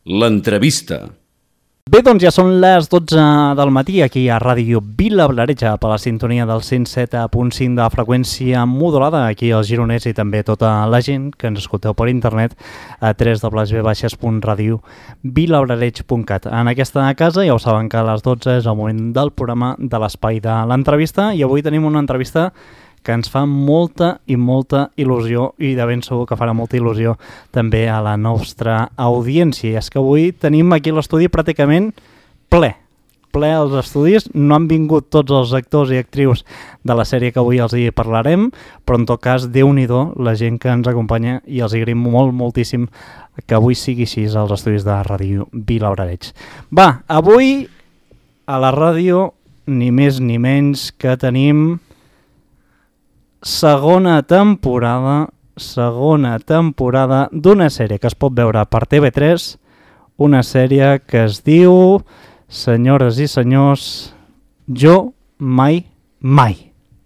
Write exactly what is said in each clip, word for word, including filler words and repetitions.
L'entrevista. Bé, doncs ja són les dotze del matí aquí a Ràdio Vilablareix, per la sintonia del cent set punt cinc de freqüència modulada, aquí als gironers i també tota la gent que ens escolteu per internet a w w w punt radio vilablareix punt cat. En aquesta casa ja ho saben que a les dotze és el moment del programa de l'espai de l'entrevista i avui tenim una entrevista que ens fa molta i molta il·lusió i de ben segur que farà molta il·lusió també a la nostra audiència. I és que avui tenim aquí l'estudi pràcticament ple, ple als estudis. No han vingut tots els actors i actrius de la sèrie que avui els hi parlarem, però en tot cas, Déu-n'hi-do la gent que ens acompanya i els agraïm molt, moltíssim que avui sigui així als estudis de Ràdio Vilablareix. Va, avui a la ràdio ni més ni menys que tenim segona temporada, segona temporada d'una sèrie que es pot veure per T V tres, una sèrie que es diu, senyores i senyors, Jo mai mai.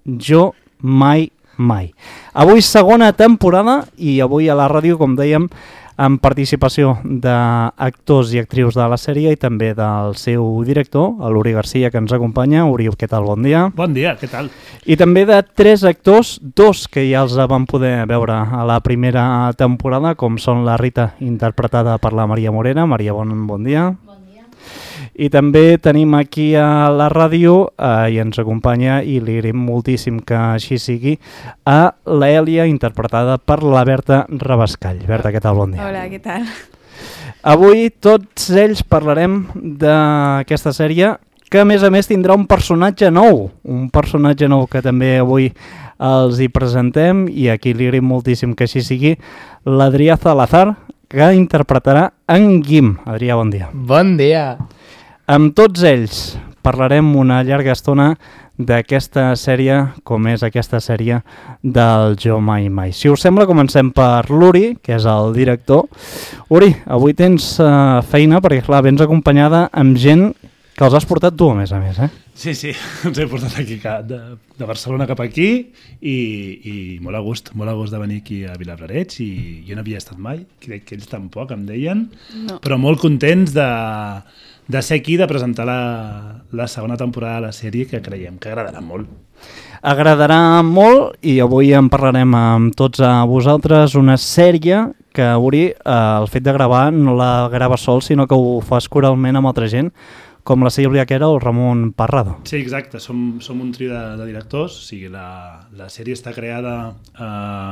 Jo mai mai. Avui segona temporada i avui a la ràdio, com dèiem, amb participació d'actors i actrius de la sèrie i també del seu director, l'Uri Garcia, que ens acompanya. Uri, què tal? Bon dia. Bon dia, què tal? I també de tres actors, dos que ja els vam poder veure a la primera temporada, com són la Rita, interpretada per la Maria Morera. Maria, bon, bon dia. Bon dia. I també tenim aquí a la ràdio, eh, i ens acompanya, i li agraïm moltíssim que així sigui, a l'Èlia, interpretada per la Berta Rabascall. Berta, què tal? Bon dia. Hola, què tal? Avui tots ells parlarem d'aquesta sèrie que a més a més tindrà un personatge nou, un personatge nou que també avui els hi presentem i aquí li agraïm moltíssim que així sigui, l'Adrià Salazar, que interpretarà en Guim. Adrià, bon dia. Bon dia. Amb tots ells parlarem una llarga estona d'aquesta sèrie, com és aquesta sèrie del Jo mai mai. Si us sembla, comencem per l'Uri, que és el director. Uri, avui tens uh, feina perquè, clar, vens acompanyada amb gent que els has portat tu, a més a més, eh? Sí, sí, ens he portat aquí de, de Barcelona cap aquí i, i molt a gust, molt a gust de venir aquí a Vilablareix i jo no havia estat mai, crec que ells tampoc em deien, no. Però molt contents de, de ser aquí, de presentar la, la segona temporada de la sèrie que creiem que agradarà molt. Agradarà molt i avui en parlarem amb tots a vosaltres, una sèrie que, Uri, eh, el fet de gravar no la grava sol, sinó que ho fas coralment amb altra gent, com la Sílvia Quera o el Ramon Parrado. Sí, exacte, som, som un trio de, de directors, o sigui, la, la sèrie està creada eh,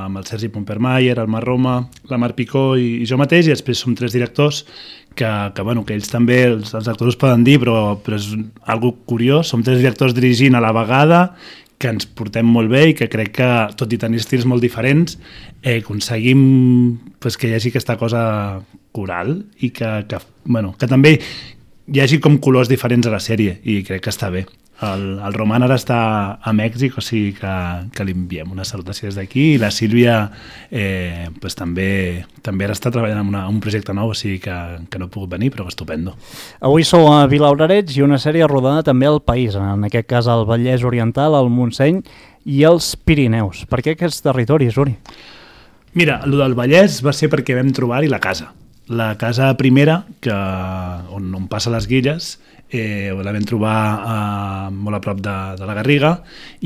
amb el Sergi Pompermayer, el Mar Roma, la Mar Picó i, i jo mateix, i després som tres directors que, que, bueno, que ells també, els, els actors ho poden dir, però, però és algo curiós, som tres directors dirigint a la vegada, que ens portem molt bé i que crec que, tot i tenir estils molt diferents, eh, aconseguim pues, que hi hagi aquesta cosa coral i que, que, bueno, que també hi hagi com colors diferents a la sèrie i crec que està bé. El, el Roman ara està a Mèxic, o sigui que, que li enviem una salutació des d'aquí i la Sílvia eh, pues, també, també ara està treballant en una, un projecte nou, o sigui que, que no ha pogut venir, però estupendo. Avui sou a Vilablareix i una sèrie rodada també al país, en aquest cas al Vallès Oriental, al Montseny i als Pirineus. Per què aquests territoris, Uri? Mira, el del Vallès va ser perquè vam trobar-hi la casa. La casa primera, que, on, on passa les Guilles, eh, la vam trobar eh, molt a prop de, de la Garriga,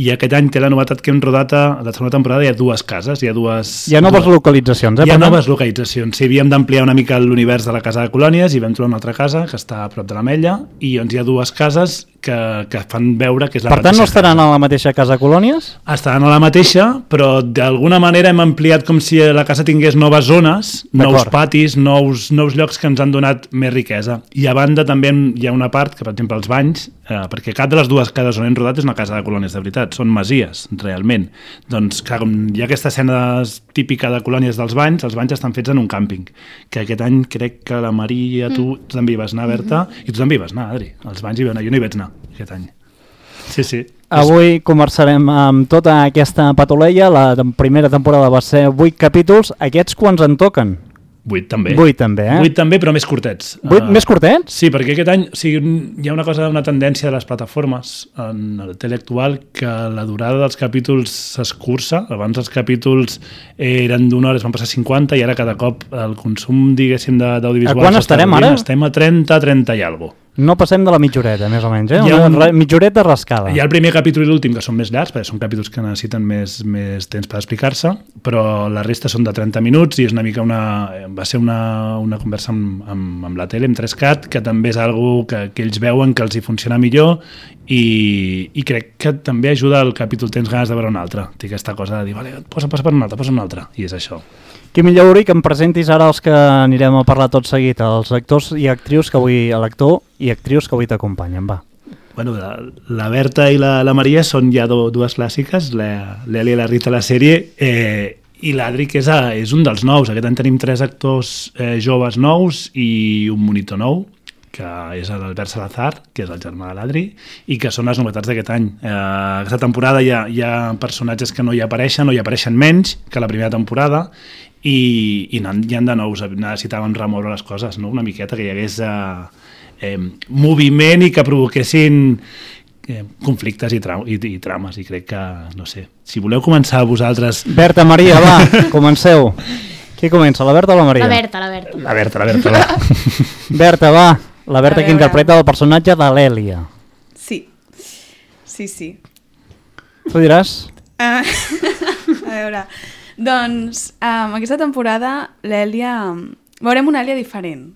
i aquest any té la novetat que hem rodat a la segona temporada, hi ha dues cases, hi ha dues... Hi ha noves dues, localitzacions, eh? Hi ha noves localitzacions, sí, havíem d'ampliar una mica l'univers de la casa de colònies i vam trobar una altra casa que està a prop de l'Ametlla, i doncs hi ha dues cases que, que fan veure que és la per mateixa tant, no estaran casa. a la mateixa casa colònies? Estaran a la mateixa, però d'alguna manera hem ampliat com si la casa tingués noves zones, nous patis, nous, nous llocs que ens han donat més riquesa. I a banda també hi ha una part, que per exemple els banys, eh, perquè cap de les dues cases on hem rodat és una casa de colònies de veritat, són masies, realment. Doncs clar, com hi ha aquesta escena típica de colònies dels banys, els banys estan fets en un càmping, que aquest any crec que la Maria, tu, tu també hi vas anar, Berta, i tu també hi vas anar, Adri. Els banys hi van anar, jo no hi vaig anar aquest any. Sí, sí. Avui conversarem amb tota aquesta patuleia. La primera temporada va ser vuit capítols. Aquests quants en toquen? Vuit també. Vuit també, eh? Vuit també, però més curtets. Vuit Uh, més curtets? Sí, perquè aquest any o sigui, hi ha una cosa, una tendència de les plataformes en el tele actual que la durada dels capítols s'escurça. Abans els capítols eren d'una hora, es van passar cinquanta i ara cada cop el consum, diguéssim, d'audiovisuals... A quan estarem ara? Estem a trenta, trenta i alguna cosa. No passem de la mitjoreta, més o menys, eh? Una un... mitjoreta rascada. Hi ha el primer capítol i l'últim, que són més llargs, perquè són capítols que necessiten més, més temps per explicar-se, però la resta són de trenta minuts i és una mica una... va ser una, una conversa amb, amb, amb la tele, amb tres cat, que també és algo que, que ells veuen que els hi funciona millor i, i crec que també ajuda el capítol, tens ganes de veure un altre. Té aquesta cosa de dir, vale, posa, posa per un altre, posa un altre, i és això. Quimi Llauri, que em presentis ara els que anirem a parlar tot seguit, els actors i actrius que avui, l'actor i actrius que avui t'acompanyen, va. Bueno, la, la Berta i la, la Maria són ja do, dues clàssiques, l'Eli i la Rita a la sèrie, eh, i l'Adri, que és, a, és un dels nous. Aquest any tenim tres actors eh, joves nous i un monitor nou, que és l'Albert Salazar, que és el germà de l'Adri, i que són les novetats d'aquest any. Eh, aquesta temporada hi ha, hi ha personatges que no hi apareixen, o hi apareixen menys que la primera temporada, i, i hi ha de nous, necessitàvem remoure les coses, no? Una miqueta que hi hagués eh, eh, moviment i que provoquessin eh, conflictes i, tra i, i trames, i crec que, no sé, si voleu començar vosaltres... Berta, Maria, va, comenceu. Qui comença, la Berta o la Maria? La Berta, la Berta. La Berta, la Berta, va. Berta, va, la Berta que interpreta el personatge de l'Èlia. Sí, sí, sí. Tu diràs? Uh, a veure... Doncs, um, aquesta temporada l'Èlia... Veurem una Èlia diferent.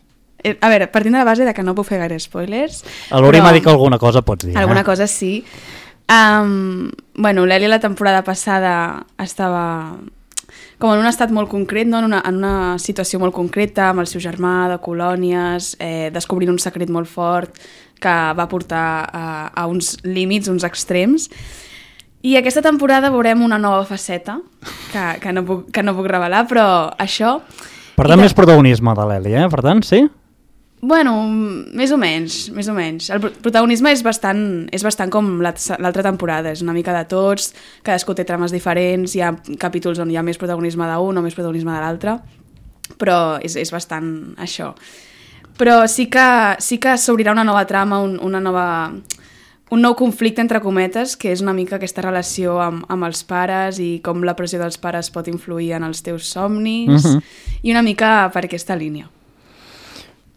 A veure, partint de la base de que no puc fer gaire spoilers... A l'Uri m'ha dit que alguna cosa pots dir. Alguna eh? cosa sí. Um, bueno, l'Èlia la temporada passada estava com en un estat molt concret, no? en, una, en una situació molt concreta, amb el seu germà, de colònies, eh, descobrint un secret molt fort que va portar a, a uns límits, uns extrems. I aquesta temporada veurem una nova faceta, que, que, no, puc, que no puc revelar, però això... Per tant, més protagonisme de l'Èlia, eh? Per tant, sí? Bueno, més o menys, més o menys. El protagonisme és bastant, és bastant com l'altra temporada, és una mica de tots, cadascú té trames diferents, hi ha capítols on hi ha més protagonisme d'un o més protagonisme de l'altre, però és, és bastant això. Però sí que, sí que s'obrirà una nova trama, un, una nova... un nou conflicte, entre cometes, que és una mica aquesta relació amb, amb els pares i com la pressió dels pares pot influir en els teus somnis, uh-huh. i una mica per aquesta línia.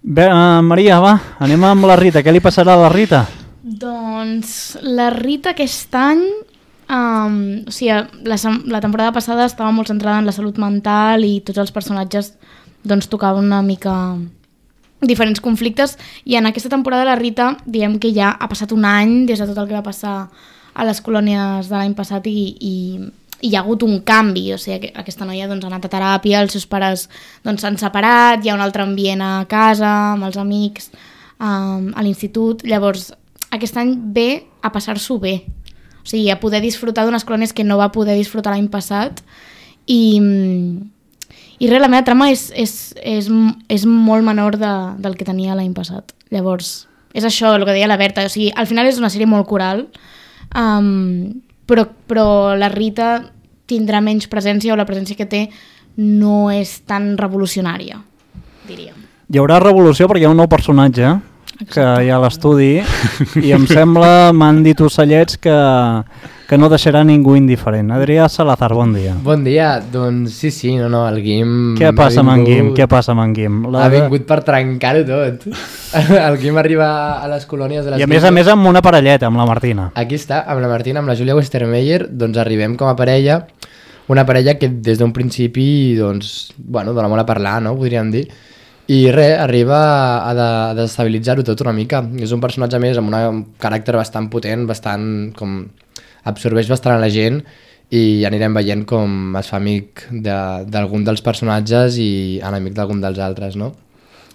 Bé, uh, Maria, va, anem amb la Rita. Què li passarà a la Rita? Doncs la Rita aquest any, um, o sigui, la, la temporada passada estava molt centrada en la salut mental i tots els personatges doncs tocaven una mica... diferents conflictes, i en aquesta temporada la Rita, diem que ja ha passat un any des de tot el que va passar a les colònies de l'any passat i, i, i hi ha hagut un canvi, o sigui, aquesta noia doncs, ha anat a teràpia, els seus pares doncs, s'han separat, hi ha un altre ambient a casa, amb els amics, um, a l'institut, llavors aquest any ve a passar-s'ho bé, o sigui, a poder disfrutar d'unes colònies que no va poder disfrutar l'any passat, i... I res, la meva trama és, és, és, és molt menor de, del que tenia l'any passat. Llavors, és això, el que deia la Berta. O sigui, al final és una sèrie molt coral, um, però, però la Rita tindrà menys presència, o la presència que té no és tan revolucionària, diríem. Hi haurà revolució perquè hi ha un nou personatge Exacte. Que hi ha a l'estudi i em sembla, m'han dit ocellets, que, que no deixarà ningú indiferent. Adrià Salazar, bon dia. Bon dia, doncs sí, sí, no, no, el Guim... Què passa amb en Guim? Què passa amb en Guim? La... Ha vingut per trencar-ho tot. El Guim arriba a les colònies de les... I a més a més amb una parelleta, amb la Martina. Aquí està, amb la Martina, amb la Júlia Westermeyer, doncs arribem com a parella, una parella que des d'un principi, doncs, bueno, dona molt a parlar, no?, podríem dir. I res, arriba a, de, a desestabilitzar-ho tot una mica. És un personatge més amb una, un caràcter bastant potent, bastant com... absorbeix bastant a la gent i anirem veient com es fa amic d'algun de, dels personatges i enemic d'algun dels altres, no?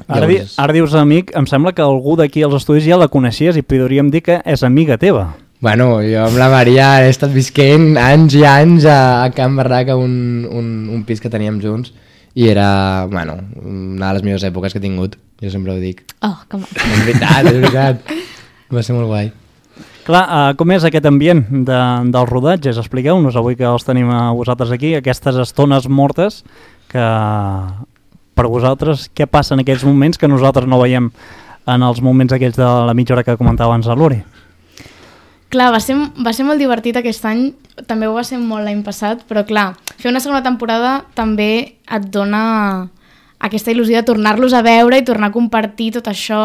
Ara, Llavors... di, ara dius amic, em sembla que algú d'aquí als estudis ja la coneixies i podríem dir que és amiga teva. Bueno, jo amb la Maria he estat visquent anys i anys a, a Can Barraca, un, un, un pis que teníem junts, i era, bueno, una de les millors èpoques que he tingut, jo sempre ho dic. Oh, que maco. És veritat, és veritat. Va ser molt guai. Clar, uh, com és aquest ambient de, dels rodatges? Expliqueu-nos, avui que els tenim a vosaltres aquí, aquestes estones mortes que per vosaltres, què passa en aquells moments que nosaltres no veiem en els moments aquells de la mitja hora que comentava abans a l'Uri? Clar, va ser, va ser molt divertit aquest any, també ho va ser molt l'any passat, però clar, fer una segona temporada també et dona aquesta il·lusió de tornar-los a veure i tornar a compartir tot això.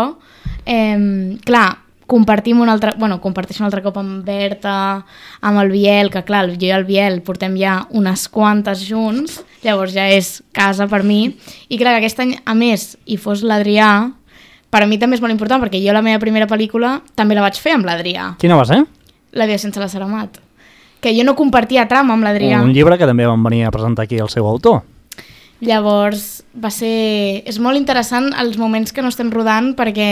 Eh, clar, compartim un altre, bueno, comparteixo un altre cop amb Berta, amb el Biel, que clar, jo i el Biel portem ja unes quantes junts, llavors ja és casa per mi, i clar, que aquest any, a més, hi fos l'Adrià, per a mi també és molt important, perquè jo la meva primera pel·lícula també la vaig fer amb l'Adrià. Quina va ser? La vida sense la Saramat. Que jo no compartia trama amb l'Adrià. Un llibre que també van venir a presentar aquí el seu autor. Llavors, va ser... És molt interessant els moments que no estem rodant perquè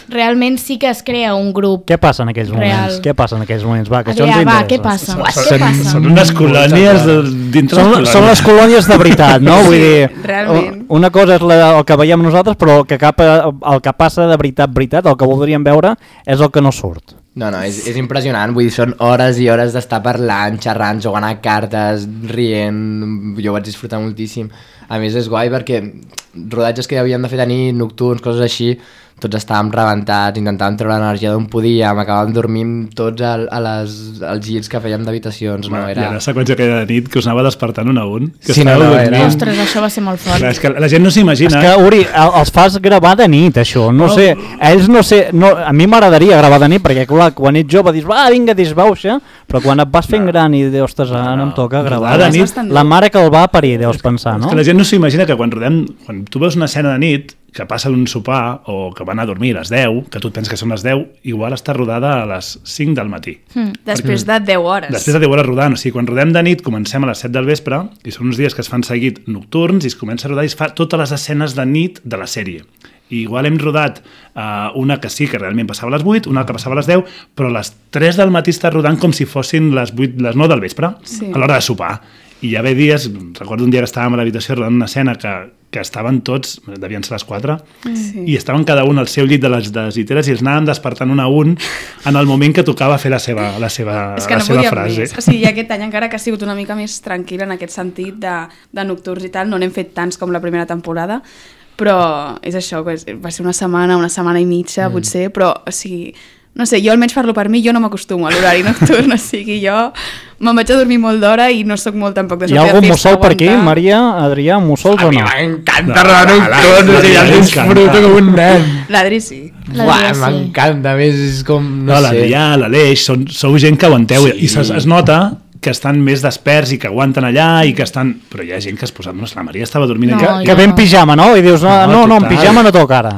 realment sí que es crea un grup. Què passa en aquells moments? Real. Què passa en aquells moments? Va, que Adrià, això ens va, interessa. què passa? Són, Què passa? són unes colònies de, dintre Són, les colònies. són les colònies de veritat, no? Vull Sí, dir, realment. una cosa és la, el que veiem nosaltres, però el que, cap, el que passa de veritat, veritat, el que voldríem veure és el que no surt. No, no, és, és impressionant, vull dir, són hores i hores d'estar parlant, xerrant, jugant a cartes, rient, jo vaig disfrutar moltíssim. A més és guai perquè rodatges que havíem de fer de nit, nocturns, coses així, tots estàvem rebentats, intentàvem treure l'energia d'on podíem, acabàvem dormint tots al, a les, als girs que fèiem d'habitacions, no? Era... Era... Hi ha la seqüència aquella de nit que us anava despertant un a un. Que Sí, no, estàveu no, dormint. era- Ostres, això va ser molt fort. Clar, és que la gent no s'imagina... És que, Uri, el- els fas gravar de nit, això. No Oh. sé, ells no sé... No, a mi m'agradaria gravar de nit, perquè, clar, quan ets jove dius, va, vinga, disbauxa, però quan et vas fent No. gran i dius, ostres, ara No, em toca no. gravar Rodar de de nit, nit- la mare que el va parir, deus pensar, És no? que la gent no s'imagina que quan rodem, quan tu veus una escena de nit que passa d'un sopar o que van a dormir a les deu, que tu et penses que són les deu, igual està rodada a les cinc del matí. Mm. Després de deu hores. Després de deu hores rodant, o sigui, quan rodem de nit comencem a les set del vespre i són uns dies que es fan seguit nocturns i es comença a rodar i es fa totes les escenes de nit de la sèrie. I igual hem rodat uh, una que sí, que realment passava a les vuit, una que passava a les deu, però a les tres del matí està rodant com si fossin les, vuit, les nou del vespre, Sí. a l'hora de sopar. I hi havia dies, recordo un dia que estàvem a l'habitació rodant una escena que, que estaven tots, devien ser les quatre, Sí. i estaven cada un al seu llit de les, de les lliteres i els anàvem despertant un a un en el moment que tocava fer la seva, la seva, És que la no seva podíem frase. més. O sigui, aquest any encara que ha sigut una mica més tranquil en aquest sentit de, de nocturns i tal, no n'hem fet tants com la primera temporada, però és això, és, va ser una setmana, una setmana i mitja, mm. potser, però, o sigui, no sé, jo almenys parlo per mi, jo no m'acostumo a l'horari nocturn, o sigui, jo me'n vaig a dormir molt d'hora i no sóc molt tampoc de Hi ha sortir algun de festa, mussol per aquí, aguantar. Maria, Adrià, mussols o no? M'encanta No, rodar la- nocturns, la- o sigui, la- el la- disfruto com un nen. L'Adri sí. La Buah, Adrià sí. m'encanta, a més és com, no, No, sé. l'Adrià, l'Aleix, són, sou gent que aguanteu Sí. i es, es nota que estan més desperts i que aguanten allà i que estan... Però hi ha gent que es posa... No, la Maria estava dormint... No, en... Que, que jo ve en no. pijama, no? I dius, no, No, no, no en total. pijama no toca ara.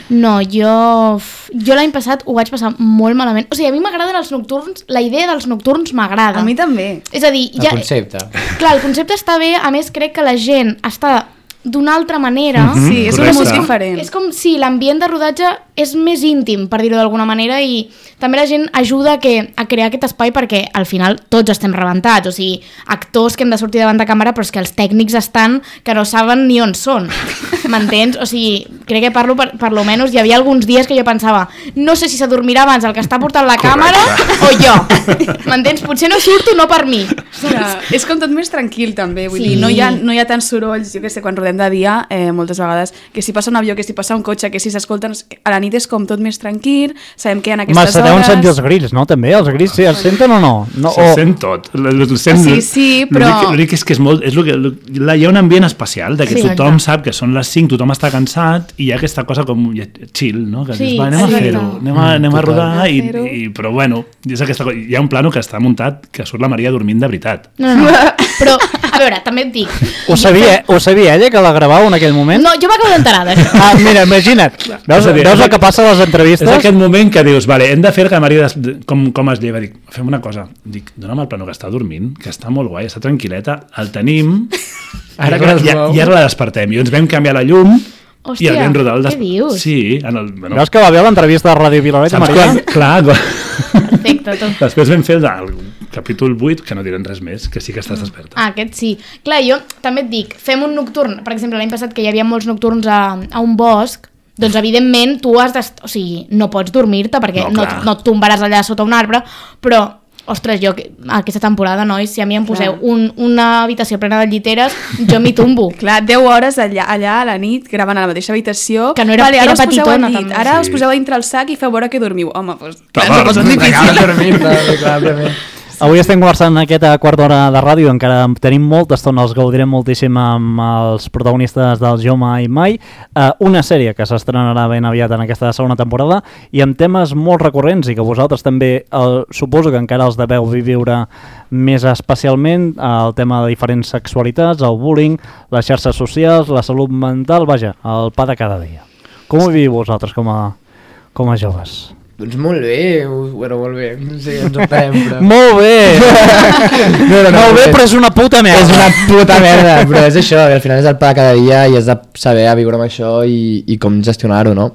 No, jo... Jo l'any passat ho vaig passar molt malament. O sigui, a mi m'agraden els nocturns, la idea dels nocturns m'agrada. A mi també. És a dir, El ja... concepte. Clar, el concepte està bé, a més crec que la gent està d'una altra manera. Mhm, Sí, és correcte. un molt diferent. És com si l'ambient de rodatge és més íntim, per dir-ho d'alguna manera, i també la gent ajuda a, que, a crear aquest espai perquè al final tots estem rebentats, o sigui, actors que hem de sortir davant de càmera, però és que els tècnics estan que no saben ni on són, m'entens? O sigui, crec que parlo per, per lo menys, hi havia alguns dies que jo pensava, no sé si s'adormirà abans el que està portant la càmera o jo, m'entens? Potser no surto no per mi. Clar, és com tot més tranquil també, vull Sí. dir, no hi, ha, no hi ha tants sorolls, jo que sé, quan rodem de dia, eh, moltes vegades, que si passa un avió, que si passa un cotxe, que si s'escolten, a la nit és com tot més tranquil, sabem que en aquestes Home, se deuen hores... sentir els grills, no? També, els grills sí, els senten o no? no Se sent tot. El, el, el sent, Sí, sí, però- L'únic l'únic és que és molt... És lo que, lo, la, hi ha un ambient especial, de que Sí, tothom exacte. sap que són les cinc, tothom està cansat i hi ha aquesta cosa com chill, no? Que Sí, dius, va, anem a exacte. fer-ho, anem a, anem a total. rodar, i, Fer-ho. i, però bueno, és aquesta cosa. Hi ha un plano que està muntat que surt la Maria dormint de veritat. No, no, no. Però, a veure, també et dic... Ho sabia, ho sabia ella, que la gravava en aquell moment? No, jo m'acabo d'enterar d'això. Ah, mira, imagina't. Veus, És a dir, veus és el que passa a les És entrevistes? aquest moment que dius, vale, hem de fer que la Maria des- com, com es lleva. Dic, fem una cosa. Dic, dona'm el plano que està dormint, que està molt guai, està tranquil·leta, el tenim, Ara i, que es i, mou. i ara la despertem. I ens vam canviar la llum Hòstia, i el vam rodar. El què dius? Sí, en el... Bueno, Veus que va bé l'entrevista de Ràdio Vilaret, saps Maria? quan? Clar, quan... Perfecte, tot. Després vam fer el, el capítol vuit, que no direm res més, que sí que estàs desperta. Ah, aquest sí. Clar, jo també et dic, fem un nocturn, per exemple, l'any passat que hi havia molts nocturns a, a un bosc, doncs evidentment tu has de... O sigui, no pots dormir-te perquè No, no, clar. no et tombaràs allà sota un arbre, però, ostres, jo aquesta temporada, nois, si a mi em poseu un, una habitació plena de lliteres, jo m'hi tombo. Clar, deu hores allà, allà a la nit, gravant a la mateixa habitació. Que no era, vale, era ara us poseu petitona, al llit, també. ara Sí. us poseu a dintre el sac i feu veure que dormiu. Home, doncs, clar, Clar, ens ho posen clar, difícil. dormir, clarament. Avui estem conversant en aquesta quarta hora de ràdio, encara tenim molta estona, els gaudirem moltíssim amb els protagonistes del Jo Mai Mai, uh, una sèrie que s'estrenarà ben aviat en aquesta segona temporada i amb temes molt recurrents i que vosaltres també, uh, suposo que encara els deveu viure més especialment, uh, el tema de diferents sexualitats, el bullying, les xarxes socials, la salut mental, vaja, el pa de cada dia. Com ho viviu vosaltres com a, com a joves? Doncs molt bé, bueno, molt bé, no sé, ens ho farem, però... Molt bé! no, no, no, molt bé, però és una puta merda! És una puta merda, però és això, al final és el pa de cada dia i has de saber a viure amb això i, i com gestionar-ho, no?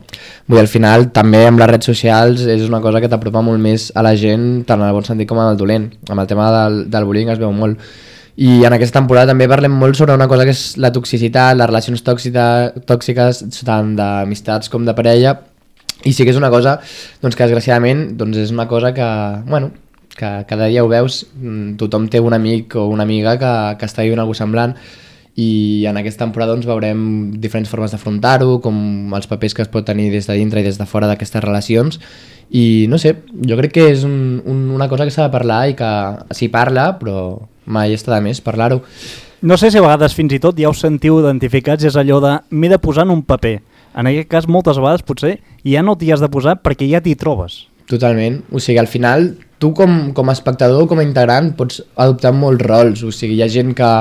Vull dir, al final, també amb les redes socials és una cosa que t'apropa molt més a la gent, tant en el bon sentit com en el dolent. Amb el tema del, del bullying es veu molt. I en aquesta temporada també parlem molt sobre una cosa que és la toxicitat, les relacions tòxica, tòxiques, tant d'amistats com de parella. I sí que és una cosa doncs, que desgraciadament doncs, és una cosa que, bueno, que cada dia ho veus, tothom té un amic o una amiga que, que està vivint alguna cosa semblant i en aquesta temporada doncs, veurem diferents formes d'afrontar-ho, com els papers que es pot tenir des de dintre i des de fora d'aquestes relacions i no sé, jo crec que és un, un, una cosa que s'ha de parlar i que s'hi parla però mai està de més parlar-ho. No sé si a vegades fins i tot ja us sentiu identificats, és allò de m'he de posar en un paper. En aquest cas, moltes vegades, potser, ja no t'hi has de posar perquè ja t'hi trobes. Totalment. O sigui, al final, tu com, com a espectador o com a integrant pots adoptar molts rols. O sigui, hi ha gent que...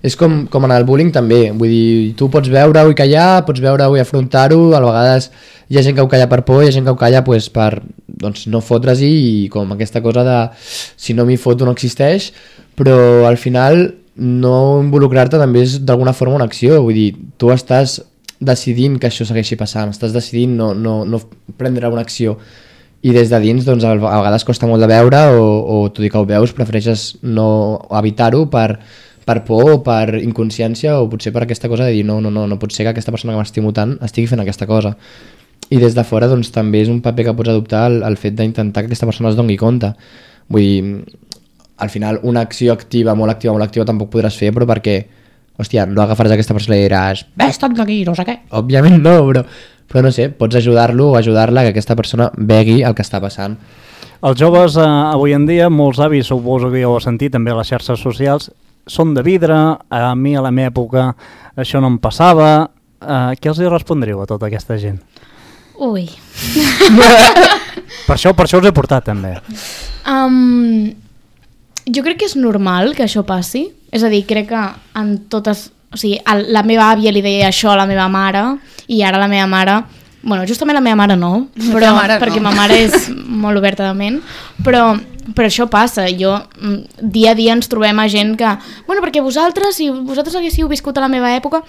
És com, com en el bullying també. Vull dir, tu pots veure-ho i callar, pots veure-ho i afrontar-ho. A vegades hi ha gent que ho calla per por, hi ha gent que ho calla pues, per doncs, no fotre's-hi i com aquesta cosa de si no m'hi foto no existeix. Però al final no involucrar-te també és d'alguna forma una acció. Vull dir, tu estàs decidint que això segueixi passant, estàs decidint no, no, no prendre una acció i des de dins doncs, a vegades costa molt de veure o, o tot i que ho veus prefereixes no evitar-ho per, per por o per inconsciència o potser per aquesta cosa de dir no, no, no, no pot ser que aquesta persona que m'estimo tant estigui fent aquesta cosa i des de fora doncs, també és un paper que pots adoptar el, el fet d'intentar que aquesta persona es doni compte. Vull dir, al final una acció activa, molt activa, molt activa tampoc podràs fer però perquè hòstia, no agafaràs aquesta persona i diràs vés-te'n d'aquí, no sé què. Òbviament no, però, però no sé, pots ajudar-lo o ajudar-la que aquesta persona vegui el que està passant. Els joves eh, avui en dia, molts avis, suposo que ja ho heu sentit, també a les xarxes socials, són de vidre, a mi a la meva època això no em passava. Eh, què els hi respondríeu a tota aquesta gent? Ui. Per això, per això us he portat també. Um, jo crec que és normal que això passi. És a dir, crec que en totes... O sigui, el, la meva àvia li deia això a la meva mare i ara la meva mare... Bueno, justament la meva mare no, però, mare perquè no. ma mare és molt oberta de ment, però, però això passa. Jo, dia a dia ens trobem a gent que... Bueno, perquè vosaltres, si vosaltres haguéssiu viscut a la meva època...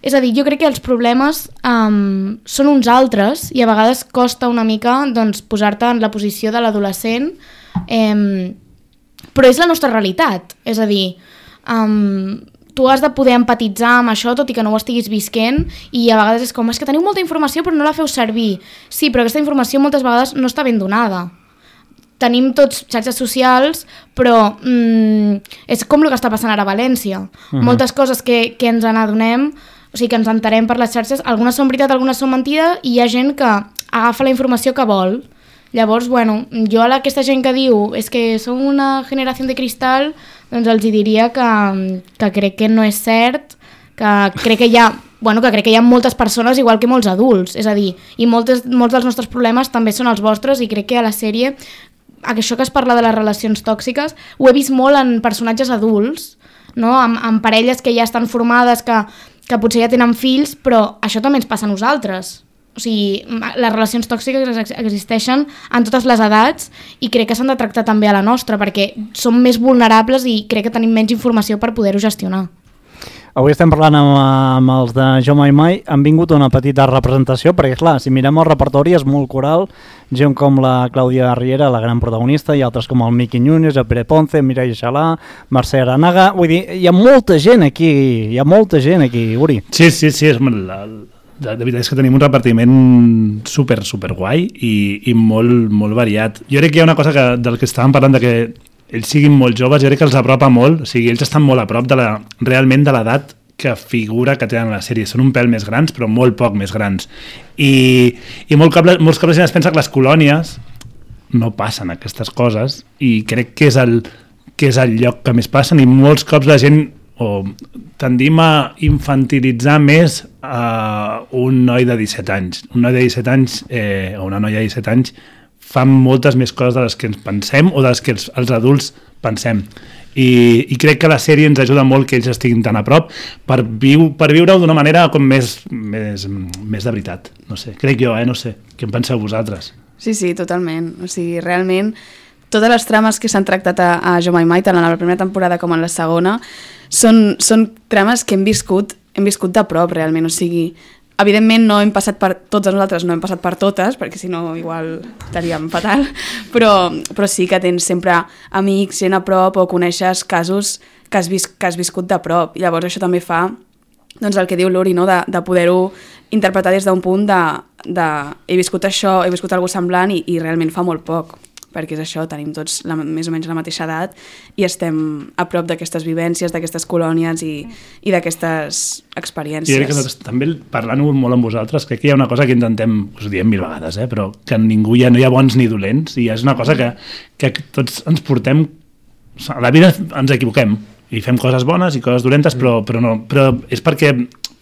És a dir, jo crec que els problemes um, són uns altres i a vegades costa una mica doncs, posar-te en la posició de l'adolescent, eh, però és la nostra realitat. És a dir... Um, tu has de poder empatitzar amb això tot i que no ho estiguis visquent i a vegades és com, és que teniu molta informació però no la feu servir. Sí, però aquesta informació moltes vegades no està ben donada. Tenim tots xarxes socials, però mm, és com el que està passant ara a València. Uh-huh. Moltes coses que, que ens n'adonem, o sigui, que ens enterem per les xarxes, algunes són veritat, algunes són mentida i hi ha gent que agafa la informació que vol. Llavors, bueno, jo a aquesta gent que diu és que som una generació de cristal, doncs els diria que, que crec que no és cert, que crec que hi ha, bueno, que crec que hi ha moltes persones igual que molts adults, és a dir, i moltes, molts dels nostres problemes també són els vostres i crec que a la sèrie, això que es parla de les relacions tòxiques, ho he vist molt en personatges adults, no? amb, amb parelles que ja estan formades, que, que potser ja tenen fills, però això també ens passa a nosaltres. O sigui, les relacions tòxiques existeixen en totes les edats i crec que s'han de tractar també a la nostra perquè som més vulnerables i crec que tenim menys informació per poder-ho gestionar. Avui estem parlant amb, amb els de Jo Mai Mai, han vingut una petita representació, perquè clar, si mirem el repertori és molt coral, gent com la Clàudia Riera, la gran protagonista, i altres com el Miqui Núñez, el Pere Ponce, Mireia Xalà, Mercè Aranaga, vull dir, hi ha molta gent aquí, hi ha molta gent aquí, Uri. Sí, sí, sí, és la, de, de veritat és que tenim un repartiment super, super guai i, i molt, molt variat. Jo crec que hi ha una cosa que, del que estàvem parlant, de que ells siguin molt joves, jo crec que els apropa molt, o sigui, ells estan molt a prop de la, realment de l'edat que figura que tenen a la sèrie. Són un pèl més grans, però molt poc més grans. I, i molt cop, molts cops la gent es pensa que les colònies no passen aquestes coses, i crec que és el, que és el lloc que més passen, i molts cops la gent o tendim a infantilitzar més a un noi de disset anys. Un noi de disset anys eh, o una noia de disset anys fan moltes més coses de les que ens pensem o de les que els, els adults pensem. I, I crec que la sèrie ens ajuda molt que ells estiguin tan a prop per, viu, per viure-ho d'una manera com més, més, més de veritat. No sé, crec jo, eh? No sé. Què en penseu vosaltres? Sí, sí, totalment. O sigui, realment, totes les trames que s'han tractat a, a Jo Mai Mai, tant en la primera temporada com en la segona, són, són trames que hem viscut, hem viscut de prop, realment. O sigui, evidentment no hem passat per, tots nosaltres no hem passat per totes, perquè si no igual estaríem fatal, però, però sí que tens sempre amics, gent a prop, o coneixes casos que has, vis, que has viscut de prop. I llavors això també fa doncs, el que diu l'Uri, no? de, de poder-ho interpretar des d'un punt de, de he viscut això, he viscut alguna semblant i, i realment fa molt poc, perquè és això, tenim tots la, més o menys la mateixa edat i estem a prop d'aquestes vivències, d'aquestes colònies i, i d'aquestes experiències. I crec que nosaltres, també parlant-ho molt amb vosaltres, crec que hi ha una cosa que intentem, us ho diem mil vegades, eh, però que ningú ja no hi ha bons ni dolents, i és una cosa que, que tots ens portem, a la vida ens equivoquem, i fem coses bones i coses dolentes, però, però, no, però és perquè,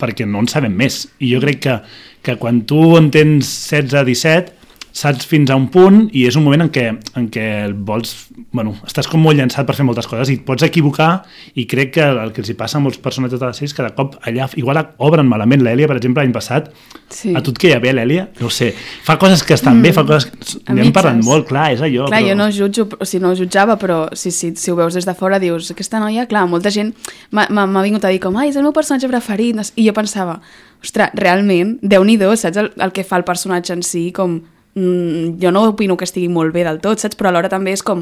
perquè no en sabem més. I jo crec que, que quan tu en tens setze a disset, saps fins a un punt i és un moment en què, en què vols, bueno, estàs com molt llançat per fer moltes coses i et pots equivocar, i crec que el que els hi passa a molts personatges de les sèries, cada cop allà igual obren malament. L'Èlia, per exemple, l'any passat, sí. A tu et queia bé l'Èlia? No ho sé, fa coses que estan mm. bé, fa coses que n'hem parlat molt, clar, és allò. Clar, però... jo no jutjo, o sigui, no ho jutjava, però si, si, si ho veus des de fora dius, aquesta noia, clar, molta gent m'ha vingut a dir com, ai, és el meu personatge preferit, i jo pensava, ostres, realment, Déu-n'hi-do, saps el, el que fa el personatge en si, com jo no opino que estigui molt bé del tot, saps? Però alhora també és com,